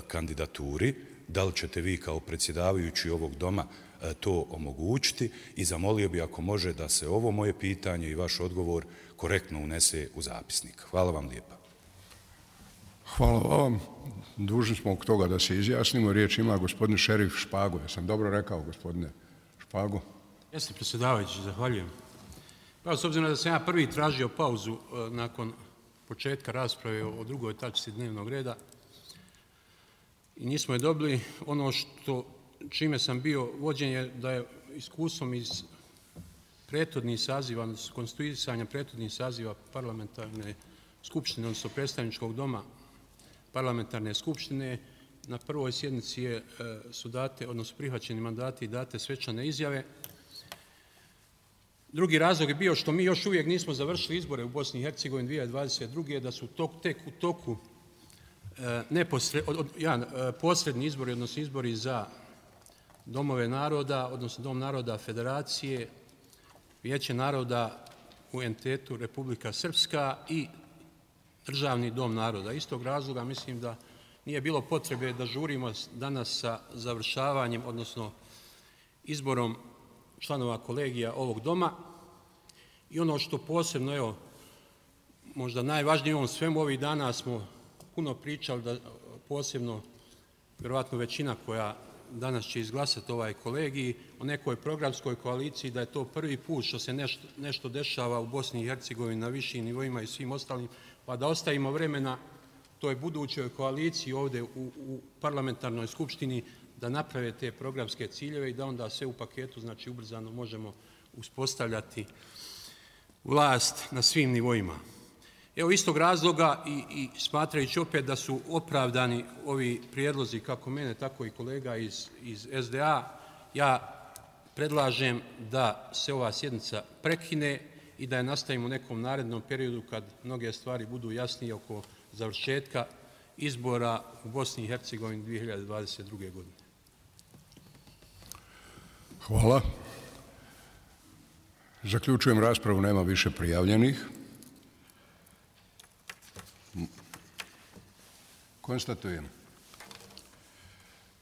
kandidaturi, da li ćete vi kao predsjedavajući ovog doma to omogućiti, i zamolio bi ako može da se ovo moje pitanje i vaš odgovor korektno unese u zapisnik. Hvala vam lijepa. Hvala vam. Dužni smo oko toga da se izjasnimo. Riječ ima gospodin Šerif Špago. Ja sam dobro rekao, gospodine Špago? Jeste, predsjedavajući, zahvaljujem. Pa, s obzirom da sam ja prvi tražio pauzu nakon početka rasprave o drugoj tačci dnevnog reda i nismo je dobili, ono što čime sam bio vođen je da je iskustvom iz prethodnih saziva, konstituisanja prethodnih saziva Parlamentarne skupštine, odnosno predstavničkog doma Parlamentarne skupštine, na prvoj sjednici je, su date, odnosno prihvaćeni mandati i date svečane izjave. Drugi razlog je bio što mi još uvijek nismo završili izbore u Bosni i Hercegovini dvije tisuće dvadeset druge. da su tok, tek u toku neposred, od, ja, posredni izbori, odnosno izbori za domove naroda, odnosno Dom naroda Federacije, Vijeće naroda u entitetu Republika Srpska i Državni dom naroda. Istog razloga mislim da nije bilo potrebe da žurimo danas sa završavanjem, odnosno izborom članova kolegija ovog doma. I ono što posebno, evo, možda najvažnije u ovom svemu, ovih dana smo puno pričali, da posebno vjerovatno većina koja danas će izglasati ovaj kolegij o nekoj programskoj koaliciji, da je to prvi put što se nešto, nešto dešava u Bosni i Hercegovini na višim nivoima i svim ostalim, pa da ostavimo vremena toj budućoj koaliciji ovdje u, u parlamentarnoj skupštini da naprave te programske ciljeve i da onda sve u paketu, znači ubrzano možemo uspostavljati vlast na svim nivoima. Evo istog razloga i, i smatrajući opet da su opravdani ovi prijedlozi kako mene, tako i kolega iz, iz S D A, ja predlažem da se ova sjednica prekine i da je nastavimo u nekom narednom periodu kad mnoge stvari budu jasnije oko završetka izbora u Bosni i Hercegovini dvije hiljade dvadeset druge. godine. Hvala. Zaključujem raspravu, nema više prijavljenih. Konstatujem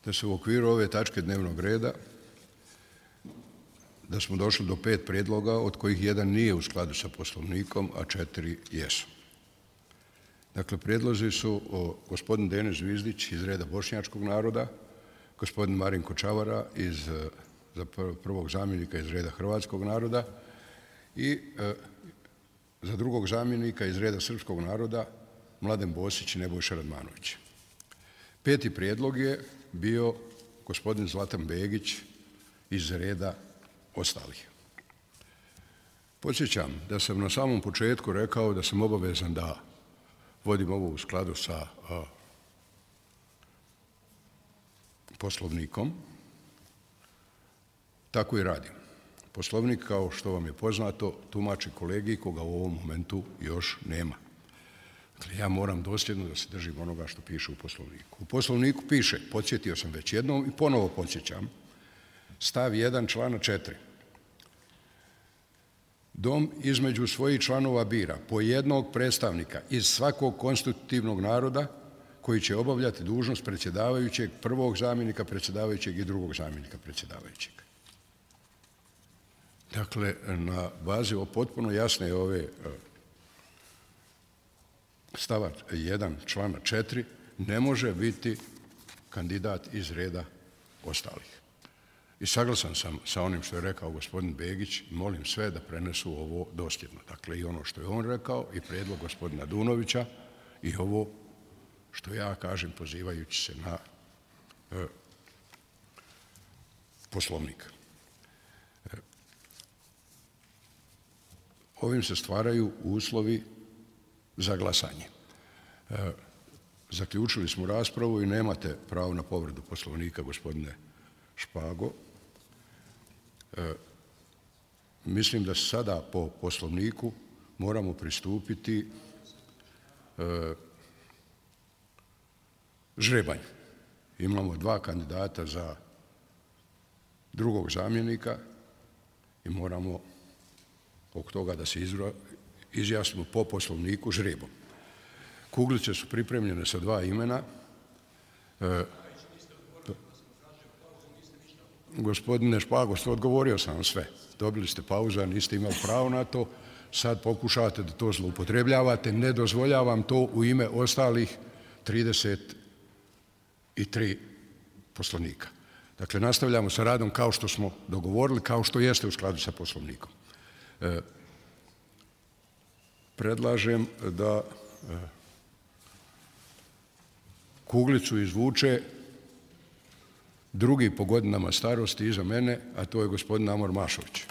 da se u okviru ove tačke dnevnog reda da smo došli do pet prijedloga, od kojih jedan nije u skladu sa Poslovnikom, a četiri jesu. Dakle, prijedlozi su o gospodin Denis Zvizdić iz reda bošnjačkog naroda, gospodin Marinko Čavara iz, za prvog zamjenika iz reda hrvatskog naroda i e, za drugog zamjenika iz reda srpskog naroda Mladen Bosić i Nebojša Radmanović. Peti prijedlog je bio gospodin Zlatan Begić iz reda ostalih. Podsjećam da sam na samom početku rekao da sam obavezan da vodim ovo u skladu sa a, Poslovnikom. Tako i radim. Poslovnik, kao što vam je poznato, tumači kolegij koga u ovom momentu još nema. Dakle, ja moram dosljedno da se držim onoga što piše u Poslovniku. U Poslovniku piše, podsjetio sam već jednom i ponovo podsjećam, stav jedan člana četiri. Dom između svojih članova bira po jednog predstavnika iz svakog konstitutivnog naroda koji će obavljati dužnost predsjedavajućeg, prvog zamjenika predsjedavajućeg i drugog zamjenika predsjedavajućeg. Dakle, na bazi o potpuno jasne ove stava jedan člana četiri ne može biti kandidat iz reda ostalih. I saglasan sam sa onim što je rekao gospodin Begić i molim sve da prenesu ovo dosljedno. Dakle, i ono što je on rekao i prijedlog gospodina Dunovića i ovo što ja kažem pozivajući se na e, Poslovnik. E, ovim se stvaraju uslovi za glasanje. E, zaključili smo raspravu i nemate pravo na povredu Poslovnika, gospodine Špago. E, mislim da sada po Poslovniku moramo pristupiti e, žrebanju. Imamo dva kandidata za drugog zamjenika i moramo oko toga da se izra, izjasnimo po Poslovniku žrebom. Kuglice su pripremljene sa dva imena. E, Gospodine Špago, odgovorio sam vam sve. Dobili ste pauzu, niste imali pravo na to. Sad pokušavate da to zloupotrebljavate. Ne dozvoljavam to u ime ostalih trideset tri poslovnika. Dakle, nastavljamo sa radom kao što smo dogovorili, kao što jeste u skladu sa Poslovnikom. E, predlažem da e, kuglicu izvuče drugi po godinama starosti iza mene, a to je gospodin Amor Mašović.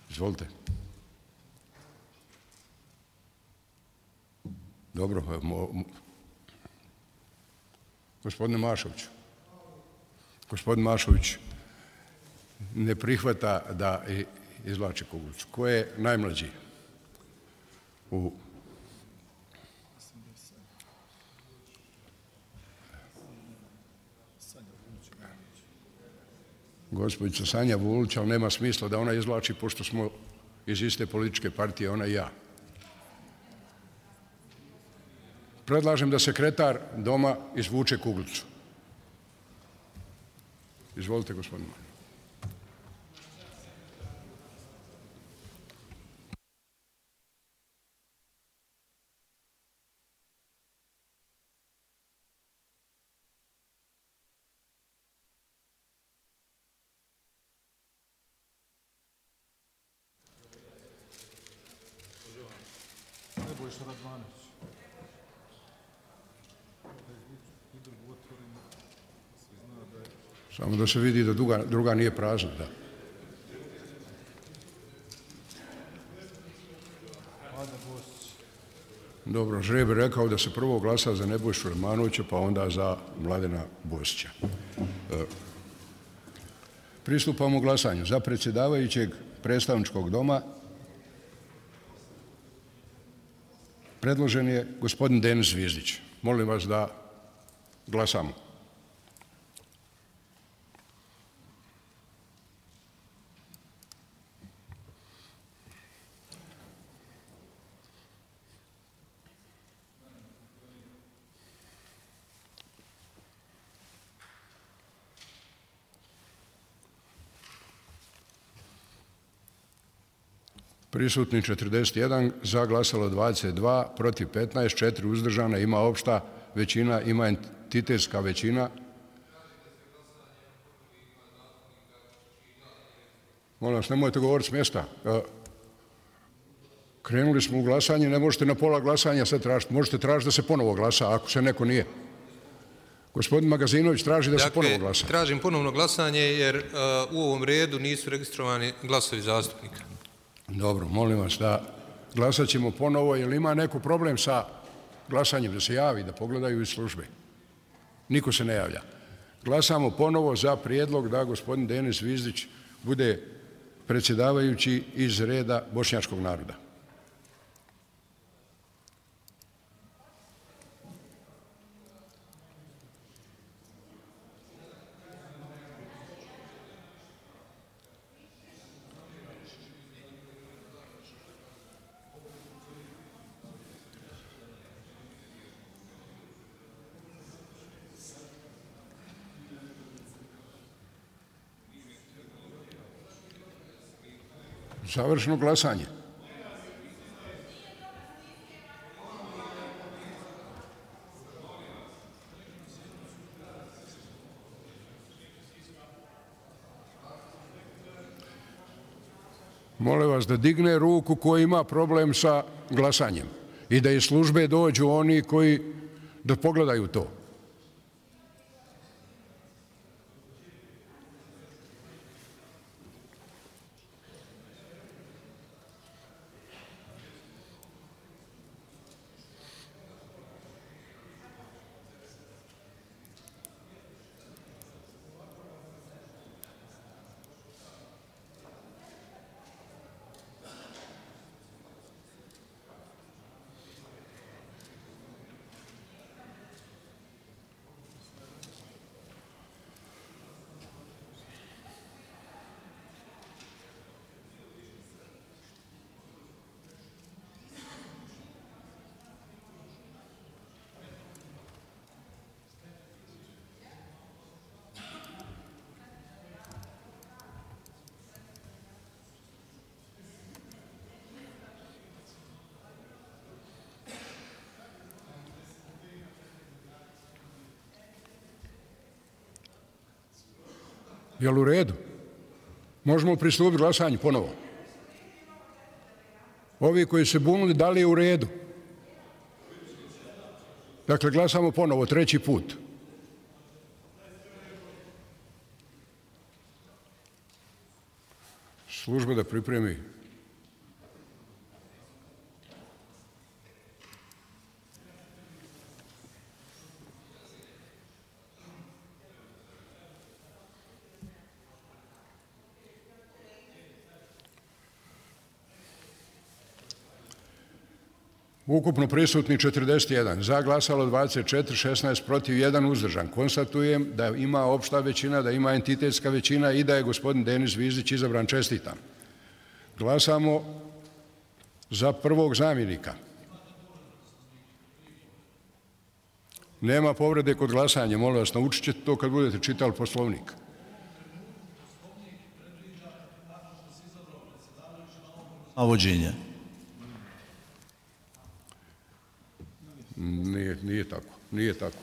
Izvolite. Dobro, mo, mo. Gospodine Mašović. Gospodin Mašović ne prihvata da izvlači kuglicu. Ko je najmlađi u gospođica Sanja Vulić, ali nema smisla da ona izvlači, pošto smo iz iste političke partije, ona i ja. Predlažem da sekretar doma izvuče kuglicu. Izvolite, gospodine. Samo da se vidi da druga, druga nije prazna, da. Dobro, žreb je rekao da se prvo glasa za Nebojšu Radmanovića, pa onda za Mladena Bosića. E, pristupamo glasanju. Za predsjedavajućeg predstavničkog doma predložen je gospodin Denis Zvizdić. Molim vas da glasamo. Prisutni četrdeset jedan, za glasalo dvadeset dva, protiv petnaest, četiri uzdržana, ima opšta većina, ima entitetska većina. Molim vas, nemojte govoriti s mjesta. Krenuli smo u glasanje, ne možete na pola glasanja sad tražiti. Možete tražiti da se ponovo glasa, ako se neko nije. Gospodin Magazinović traži da dakle, se ponovo glasa. Tražim ponovno glasanje jer uh, u ovom redu nisu registrovani glasovi zastupnika. Dobro, molim vas da glasat ćemo ponovo, jer ima neko problem sa glasanjem, da se javi, da pogledaju iz službe. Niko se ne javlja. Glasamo ponovo za prijedlog da gospodin Denis Zvizdić bude predsjedavajući iz reda bošnjačkog naroda. Završeno glasanje. Molim vas da digne ruku ko ima problem sa glasanjem i da iz službe dođu oni koji da pogledaju to. Jel u redu? Možemo pristupiti glasanju ponovo. Ovi koji se bunili, da li je u redu? Dakle, glasamo ponovo, treći put. Služba da pripremi. Ukupno prisutni četrdeset jedan, za glasalo dvadeset četiri, šesnaest protiv, jedan uzdržan. Konstatujem da ima opšta većina, da ima entitetska većina i da je gospodin Denis Zvizdić izabran. Čestitam. Glasamo za prvog zamjenika. Nema povrede kod glasanja, molim vas, naučit ćete to kad budete čitali Poslovnik. Navođenje. Nije, nije tako, nije tako,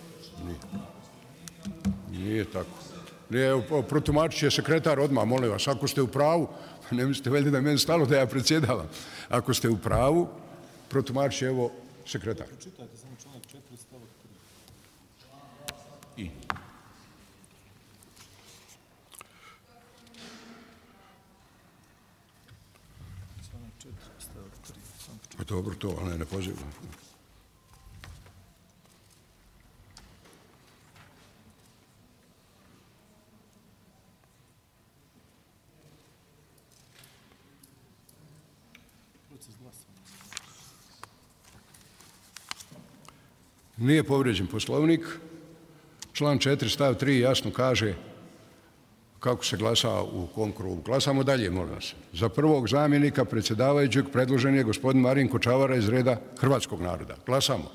nije, nije tako. Nije, protumačit će sekretar odmah, molim vas, ako ste u pravu, ne mislite valjda da je meni stalo da ja predsjedavam, ako ste u pravu, protumači, evo, sekretar. Pročitajte samo članak četiri stavak tri. I. Članak četiri stavak tri. Pa dobro to, ali ne, ne pozivam. Nije povrijeđen Poslovnik. Član četiri stav tri jasno kaže kako se glasa u kom krugu. Glasamo dalje, molim vas. Za prvog zamjenika predsjedavajućeg predložen je gospodin Marinko Čavara iz reda hrvatskog naroda. Glasamo.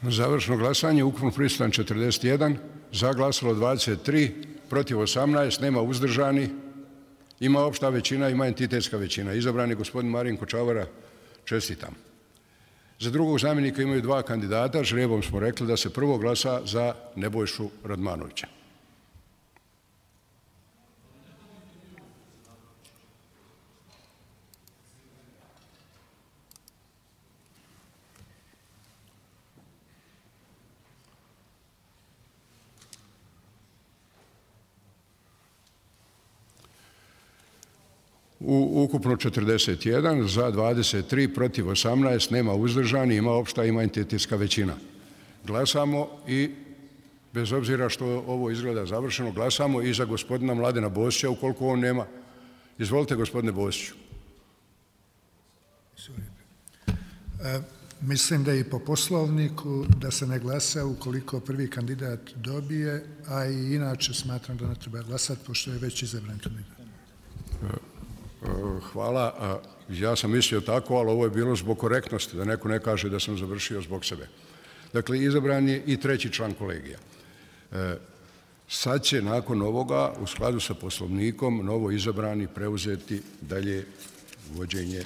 Završno glasanje, ukupno prisutan četrdeset jedan, za glasalo dvadeset tri, protiv osamnaest, nema uzdržani, ima opšta većina, ima entitetska većina. Izabran je gospodin Marinko Čavara, čestitam. Za drugog zamjenika imaju dva kandidata, žrebom smo rekli da se prvo glasa za Nebojšu Radmanovića. U ukupno četrdeset jedan, za dvadeset tri, protiv osamnaest, nema uzdržani, ima opšta, ima entitetska većina. Glasamo i, bez obzira što ovo izgleda završeno, glasamo i za gospodina Mladena Bosića, ukoliko on nema. Izvolite, gospodine Bosiću. E, mislim da je i po poslovniku da se ne glasa ukoliko prvi kandidat dobije, a i inače smatram da ne treba glasati, pošto je već izabran kandidat. E, Hvala. Ja sam mislio tako, ali ovo je bilo zbog korektnosti, da neko ne kaže da sam završio zbog sebe. Dakle, izabran je i treći član kolegija. Sad će nakon ovoga, u skladu sa poslovnikom, novo izabrani preuzeti dalje vođenje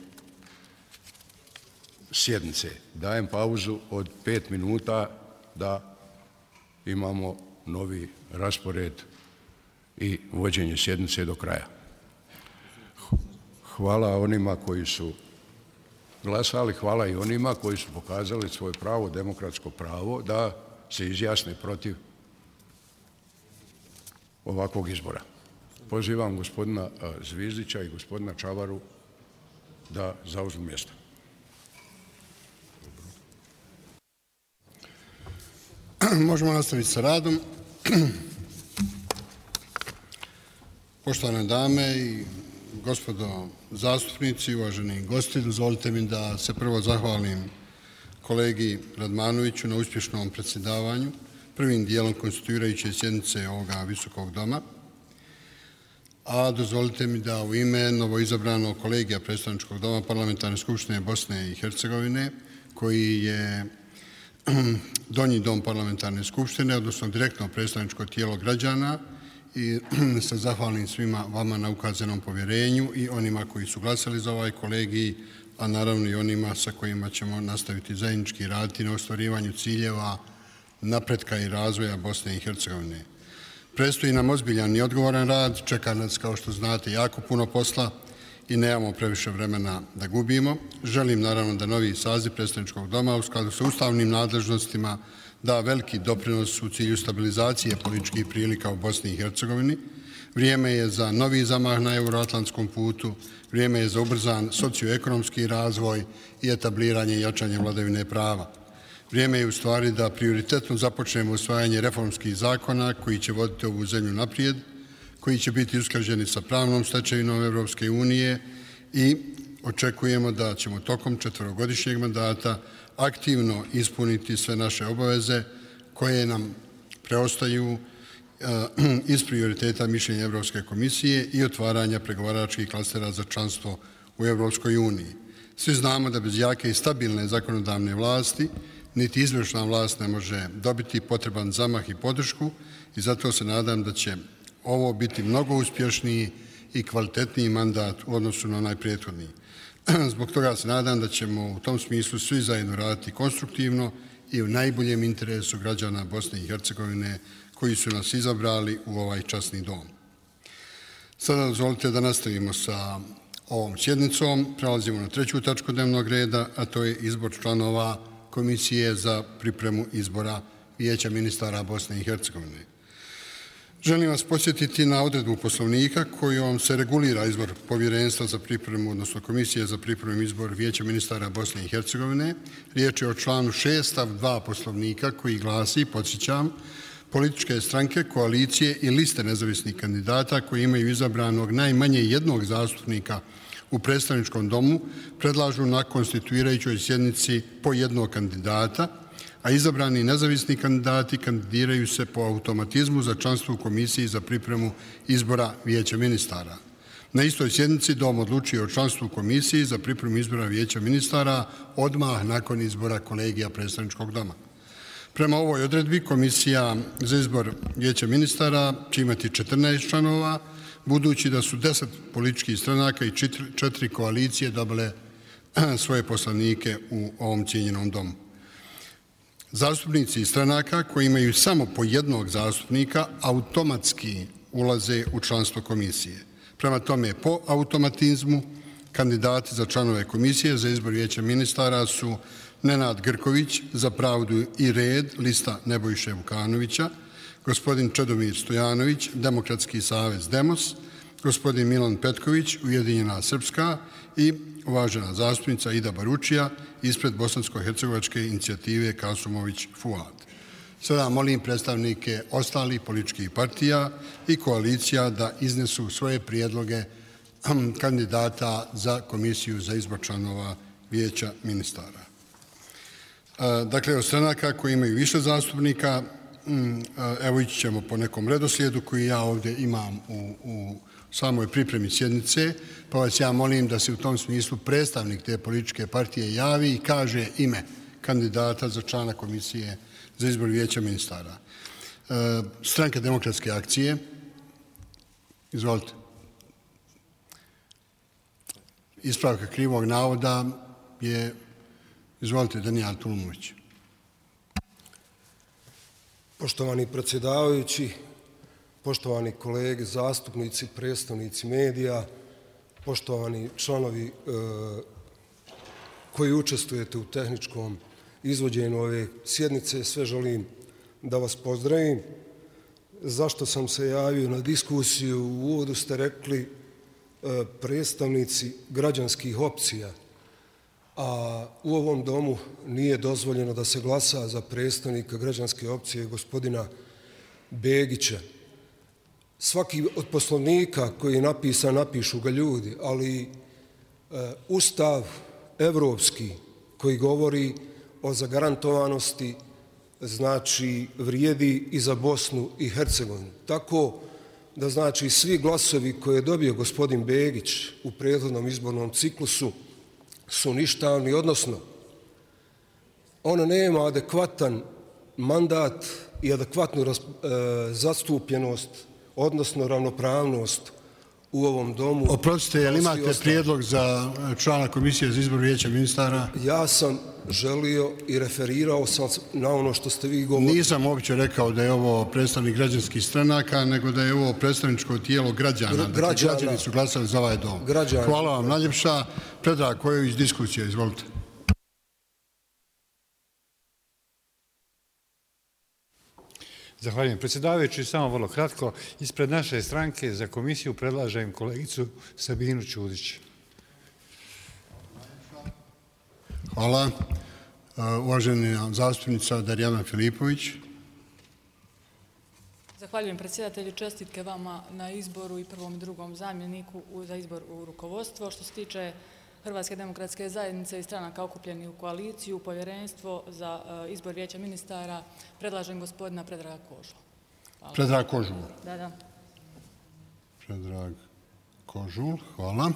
sjednice. Dajem pauzu od pet minuta da imamo novi raspored i vođenje sjednice do kraja. Hvala onima koji su glasali, hvala i onima koji su pokazali svoje pravo, demokratsko pravo, da se izjasne protiv ovakvog izbora. Pozivam gospodina Zvizdića i gospodina Čavaru da zauzmu mjesto. Možemo nastaviti sa radom. Poštovane dame i gospodo zastupnici, uvaženi gosti, dozvolite mi da se prvo zahvalim kolegi Radmanoviću na uspješnom predsjedavanju, prvim dijelom konstituirajuće sjednice ovoga visokog doma, a dozvolite mi da u ime novoizabranog kolegija predstavničkog doma Parlamentarne skupštine Bosne i Hercegovine, koji je donji dom Parlamentarne skupštine, odnosno direktno predstavničko tijelo građana, i se zahvalim svima vama na ukazanom povjerenju i onima koji su glasali za ovaj kolegij, a naravno i onima sa kojima ćemo nastaviti zajednički raditi na ostvarivanju ciljeva napretka i razvoja Bosne i Hercegovine. Predstoji nam ozbiljan i odgovoran rad, čeka nas, kao što znate, jako puno posla i nemamo previše vremena da gubimo. Želim naravno da novi saziv predstavničkog doma u skladu sa ustavnim nadležnostima da veliki doprinos u cilju stabilizacije političkih prilika u Bosni i Hercegovini. Vrijeme je za novi zamah na euroatlantskom putu, vrijeme je za ubrzan socioekonomski razvoj i etabliranje i jačanje vladavine prava. Vrijeme je u stvari da prioritetno započnemo usvajanje reformskih zakona koji će voditi ovu zemlju naprijed, koji će biti usklađeni sa pravnom stečevinom Evropske unije i očekujemo da ćemo tokom četverogodišnjeg mandata aktivno ispuniti sve naše obaveze koje nam preostaju iz prioriteta mišljenja Evropske komisije i otvaranja pregovaračkih klastera za članstvo u Evropskoj uniji. Svi znamo da bez jake i stabilne zakonodavne vlasti niti izvršna vlast ne može dobiti potreban zamah i podršku i zato se nadam da će ovo biti mnogo uspješniji i kvalitetniji mandat u odnosu na onaj prethodni. Zbog toga se nadam da ćemo u tom smislu svi zajedno raditi konstruktivno i u najboljem interesu građana Bosne i Hercegovine koji su nas izabrali u ovaj časni dom. Sada dozvolite da nastavimo sa ovom sjednicom. Prelazimo na treću tačku dnevnog reda, a to je izbor članova Komisije za pripremu izbora Vijeća ministara Bosne i Hercegovine. Želim vas podsjetiti na odredbu Poslovnika kojom se regulira izbor povjerenstva za pripremu, odnosno Komisije za pripremu izbor Vijeća ministara Bosne i Hercegovine. Riječ je o članu šest stav dva Poslovnika koji glasi, podsjećam, političke stranke, koalicije i liste nezavisnih kandidata koji imaju izabranog najmanje jednog zastupnika u predstavničkom domu predlažu na konstituirajućoj sjednici po jednog kandidata, a izabrani nezavisni kandidati kandidiraju se po automatizmu za članstvo u Komisiji za pripremu izbora Vijeća ministara. Na istoj sjednici dom odlučuje o članstvu u Komisiji za pripremu izbora Vijeća ministara odmah nakon izbora kolegija predstavničkog doma. Prema ovoj odredbi Komisija za izbor Vijeća ministara će imati četrnaest članova, budući da su deset političkih stranaka i četiri koalicije dobile svoje poslanike u ovom cijenjenom domu. Zastupnici iz stranaka koji imaju samo po jednog zastupnika automatski ulaze u članstvo komisije. Prema tome, po automatizmu kandidati za članove Komisije za izbor Vijeća ministara su Nenad Grković za pravdu i red, lista Nebojše Vukanovića, gospodin Čedomir Stojanović, Demokratski savez Demos, gospodin Milan Petković, Ujedinjena Srpska i uvažena zastupnica Ida Baručija ispred Bosansko-hercegovačke inicijative Kasumović Fuad. Sada molim predstavnike ostalih političkih partija i koalicija da iznesu svoje prijedloge kandidata za Komisiju za izbor članova Vijeća ministara. Dakle, od stranaka koji imaju više zastupnika, evo ići ćemo po nekom redoslijedu koji ja ovdje imam u, u samoj pripremi sjednice, pa vas ja molim da se u tom smislu predstavnik te političke partije javi i kaže ime kandidata za člana Komisije za izbor Vijeća ministara. Stranka demokratske akcije, izvolite. Ispravka krivog navoda je, izvolite, Danijel Tulumović. Poštovani predsjedavajući, poštovani kolege, zastupnici, predstavnici medija, poštovani članovi e, koji učestvujete u tehničkom izvođenju ove sjednice, sve želim da vas pozdravim. Zašto sam se javio na diskusiju? U uvodu ste rekli e, predstavnici građanskih opcija, a u ovom domu nije dozvoljeno da se glasa za predstavnika građanske opcije gospodina Begića. Svaki od poslovnika koji je napisan, napišu ga ljudi, ali e, Ustav evropski koji govori o zagarantovanosti, znači vrijedi i za Bosnu i Hercegovinu. Tako da znači svi glasovi koje je dobio gospodin Begić u prethodnom izbornom ciklusu su ništavni, odnosno on nema adekvatan mandat i adekvatnu raz, e, zastupljenost, odnosno ravnopravnost u ovom domu. Oprostite, jel imate prijedlog za člana Komisije za izbor Vijeća ministara? Ja sam želio i referirao sam na ono što ste vi govorili. Nisam uopće rekao da je ovo predstavnik građanskih stranaka, nego da je ovo predstavničko tijelo građana. Gr dakle, građana. Građani su glasali za ovaj dom. Građana. Hvala vam najljepša. Predrag Kojović, diskusija, izvolite. Zahvaljujem predsjedavajući, samo vrlo kratko. Ispred naše stranke za komisiju predlažem kolegicu Sabinu Ćudić. Hvala. Uvažena zastupnica Darijana Filipović. Zahvaljujem predsjedatelju, čestitke vama na izboru i prvom i drugom zamjeniku za izbor u rukovodstvo. Što se tiče Hrvatske demokratske zajednice i stranaka okupljenih u koaliciju, povjerenstvo za izbor Vijeća ministara, predlažem gospodina Predraga Kožula. Hvala. Predrag Kožul. Da, da. Predrag Kožul, hvala.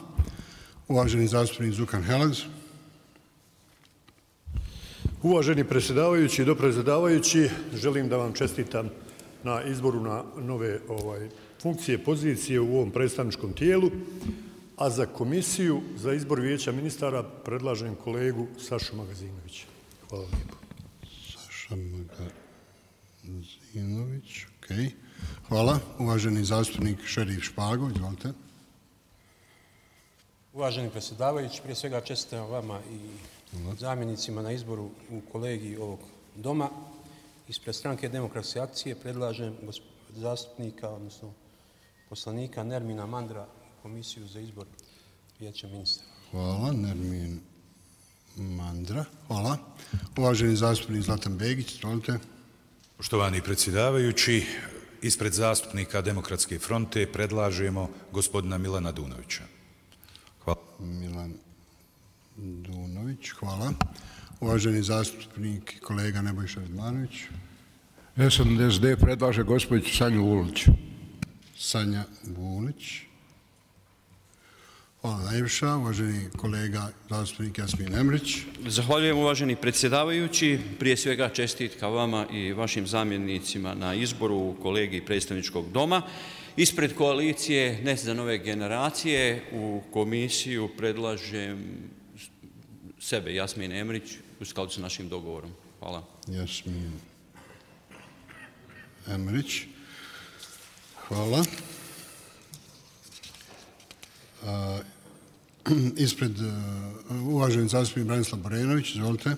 Uvaženi zastupnik Zukan Helez. Uvaženi predsjedavajući i dopredsjedavajući, želim da vam čestitam na izboru na nove ovaj, funkcije, pozicije u ovom predstavničkom tijelu, a za komisiju za izbor vijeća ministara predlažem kolegu Sašu Magazinovića. Hvala lijepo. Saša Magazinović, ok. Hvala. Uvaženi zastupnik Šerif Špago, izvolite. Uvaženi predsjedavajući, prije svega čestitam vama i zamjenicima na izboru u kolegiji ovog doma. Ispred stranke Demokratske akcije predlažem zastupnika, odnosno poslanika Nermina Mandra u komisiju za izbor vijeća ministra. Hvala, Nermin Mandra. Hvala. Uvaženi zastupnik Zlatan Begić, izvolite. Poštovani predsjedavajući, ispred zastupnika Demokratske fronte predlažemo gospodina Milana Dunovića. Hvala. Milan Dunović, hvala. Uvaženi zastupnik kolega Nebojša Radmanović. S N S D predlaže gospođu Sanju Vulić. Sanja Vulić. Hvala najviša. Uvaženi kolega zastupnik Jasmin Emrić. Zahvaljujem uvaženi predsjedavajući. Prije svega čestitka vama i vašim zamjenicima na izboru u kolegiji predstavničkog doma. Ispred koalicije Ne za nove generacije u komisiju predlažem sebe, Jasmin Emrić, u skladu sa našim dogovorom. Hvala. Jasmin Emrić. Hvala. A, ispred uh, uvaženi zastupnik Branislav Borenović, izvolite.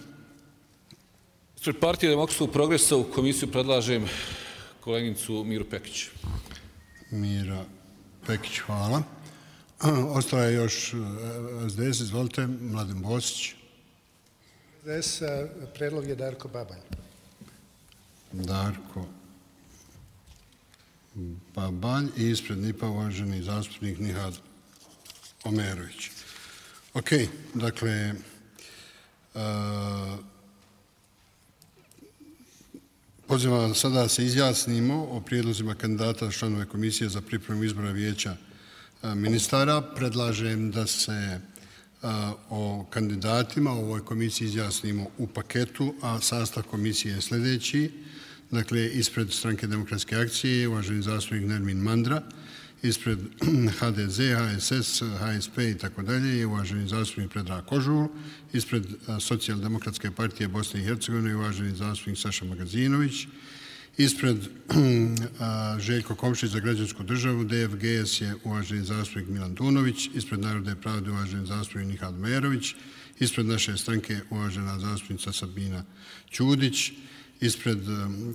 Ispred Partije demokratskog progresa u komisiju predlažem koleginicu Miru Pekić. Mira Pekić, hvala. Ostala je još S D S, izvolite, Mladen Bosić. S D S, predlog je Darko Babalj. Darko Babalj i ispred N I P-a uvaženi zastupnik Nihad Omerović. Ok, dakle, uh, pozivam sada se izjasnimo o prijedlozima kandidata članove komisije za pripremu izbora vijeća ministara. Predlažem da se o kandidatima u ovoj komisiji izjasnimo u paketu, a sastav komisije je sljedeći. Dakle, ispred stranke Demokratske akcije, uvaženi zastupnik Nermin Mandra, ispred H D Z, H S S, H S P i tako dalje je uvaženi zastupnik Predrag Kožul, ispred Socijaldemokratske partije Bosne i Hercegovine uvaženi zastupnik Saša Magazinović, ispred Željko Komšić za građansku državu, D F G S je uvaženi zastupnik Milan Dunović, ispred Narodne pravde uvaženi zastupnik Nihad Merović, ispred naše stranke uvažena zastupnica Sabina Ćudić, ispred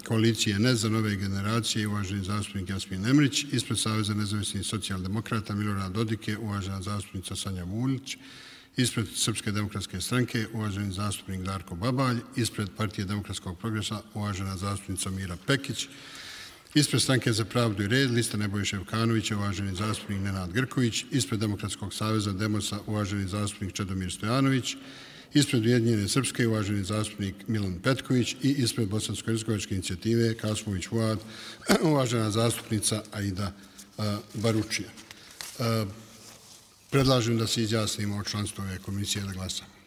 koalicije Ne za nove generacije uvaženi zastupnik Jasmin Emrić, ispred Saveza nezavisnih socijaldemokrata Milorad Dodik je uvažena zastupnica Sanja Vulić, ispred Srpske demokratske stranke uvaženi zastupnik Darko Babalj, ispred Partije demokratskog progresa uvažena zastupnica Mira Pekić, ispred Stranke za pravdu i red lista Nebojše Evkanovića uvaženi zastupnik Nenad Grković, ispred Demokratskog saveza Demosa uvaženi zastupnik Čedomir Stojanović, ispred Ujedinjene Srpske uvaženi zastupnik Milan Petković i ispred Bosansko-hercegovačke inicijative Kasmović Fuad uvažena zastupnica Aida Baručija. Predlažem da se izjasnimo o članstvu ove komisije da glasamo.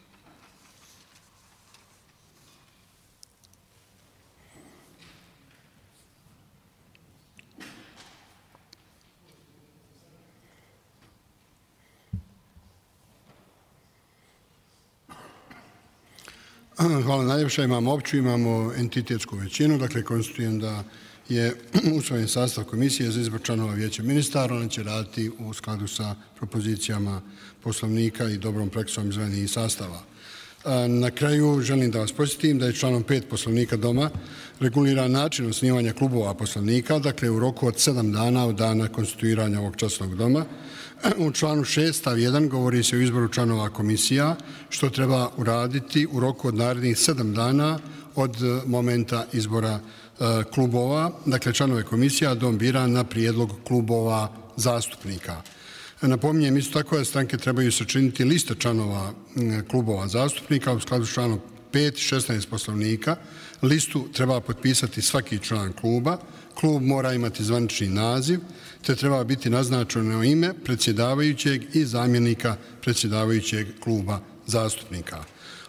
Hvala najljepša. Imamo opću, imamo entitetsku većinu, dakle konstitujem da je usvojen sastav komisije za izbor članova vijeća ministara. Ona će raditi u skladu sa propozicijama poslovnika i dobrom praksom izvanih sastava. Na kraju želim da vas posjetim da je članom pet poslovnika doma reguliran način osnivanja klubova poslovnika, dakle u roku od sedam dana od dana konstituiranja ovog časnog doma. U članu šest stav jedan govori se o izboru članova komisija, što treba uraditi u roku od narednih sedam dana od momenta izbora klubova. Dakle, članove komisija dom bira na prijedlog klubova zastupnika. Napominjem isto tako da stranke trebaju sačiniti liste članova klubova zastupnika u skladu s članom pet šesnaest poslovnika. Listu treba potpisati svaki član kluba. Klub mora imati zvanični naziv, te treba biti naznačeno ime predsjedavajućeg i zamjenika predsjedavajućeg kluba zastupnika.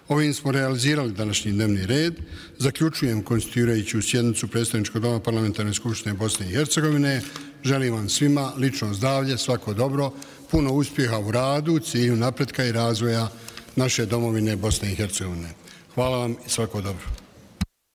Ovim smo realizirali današnji dnevni red. Zaključujem konstituirajuću sjednicu Predstavničkog doma Parlamentarne skupštine Bosne i Hercegovine. Želim vam svima lično zdravlje, svako dobro, puno uspjeha u radu, cilju napretka i razvoja naše domovine Bosne i Hercegovine. Hvala vam i svako dobro.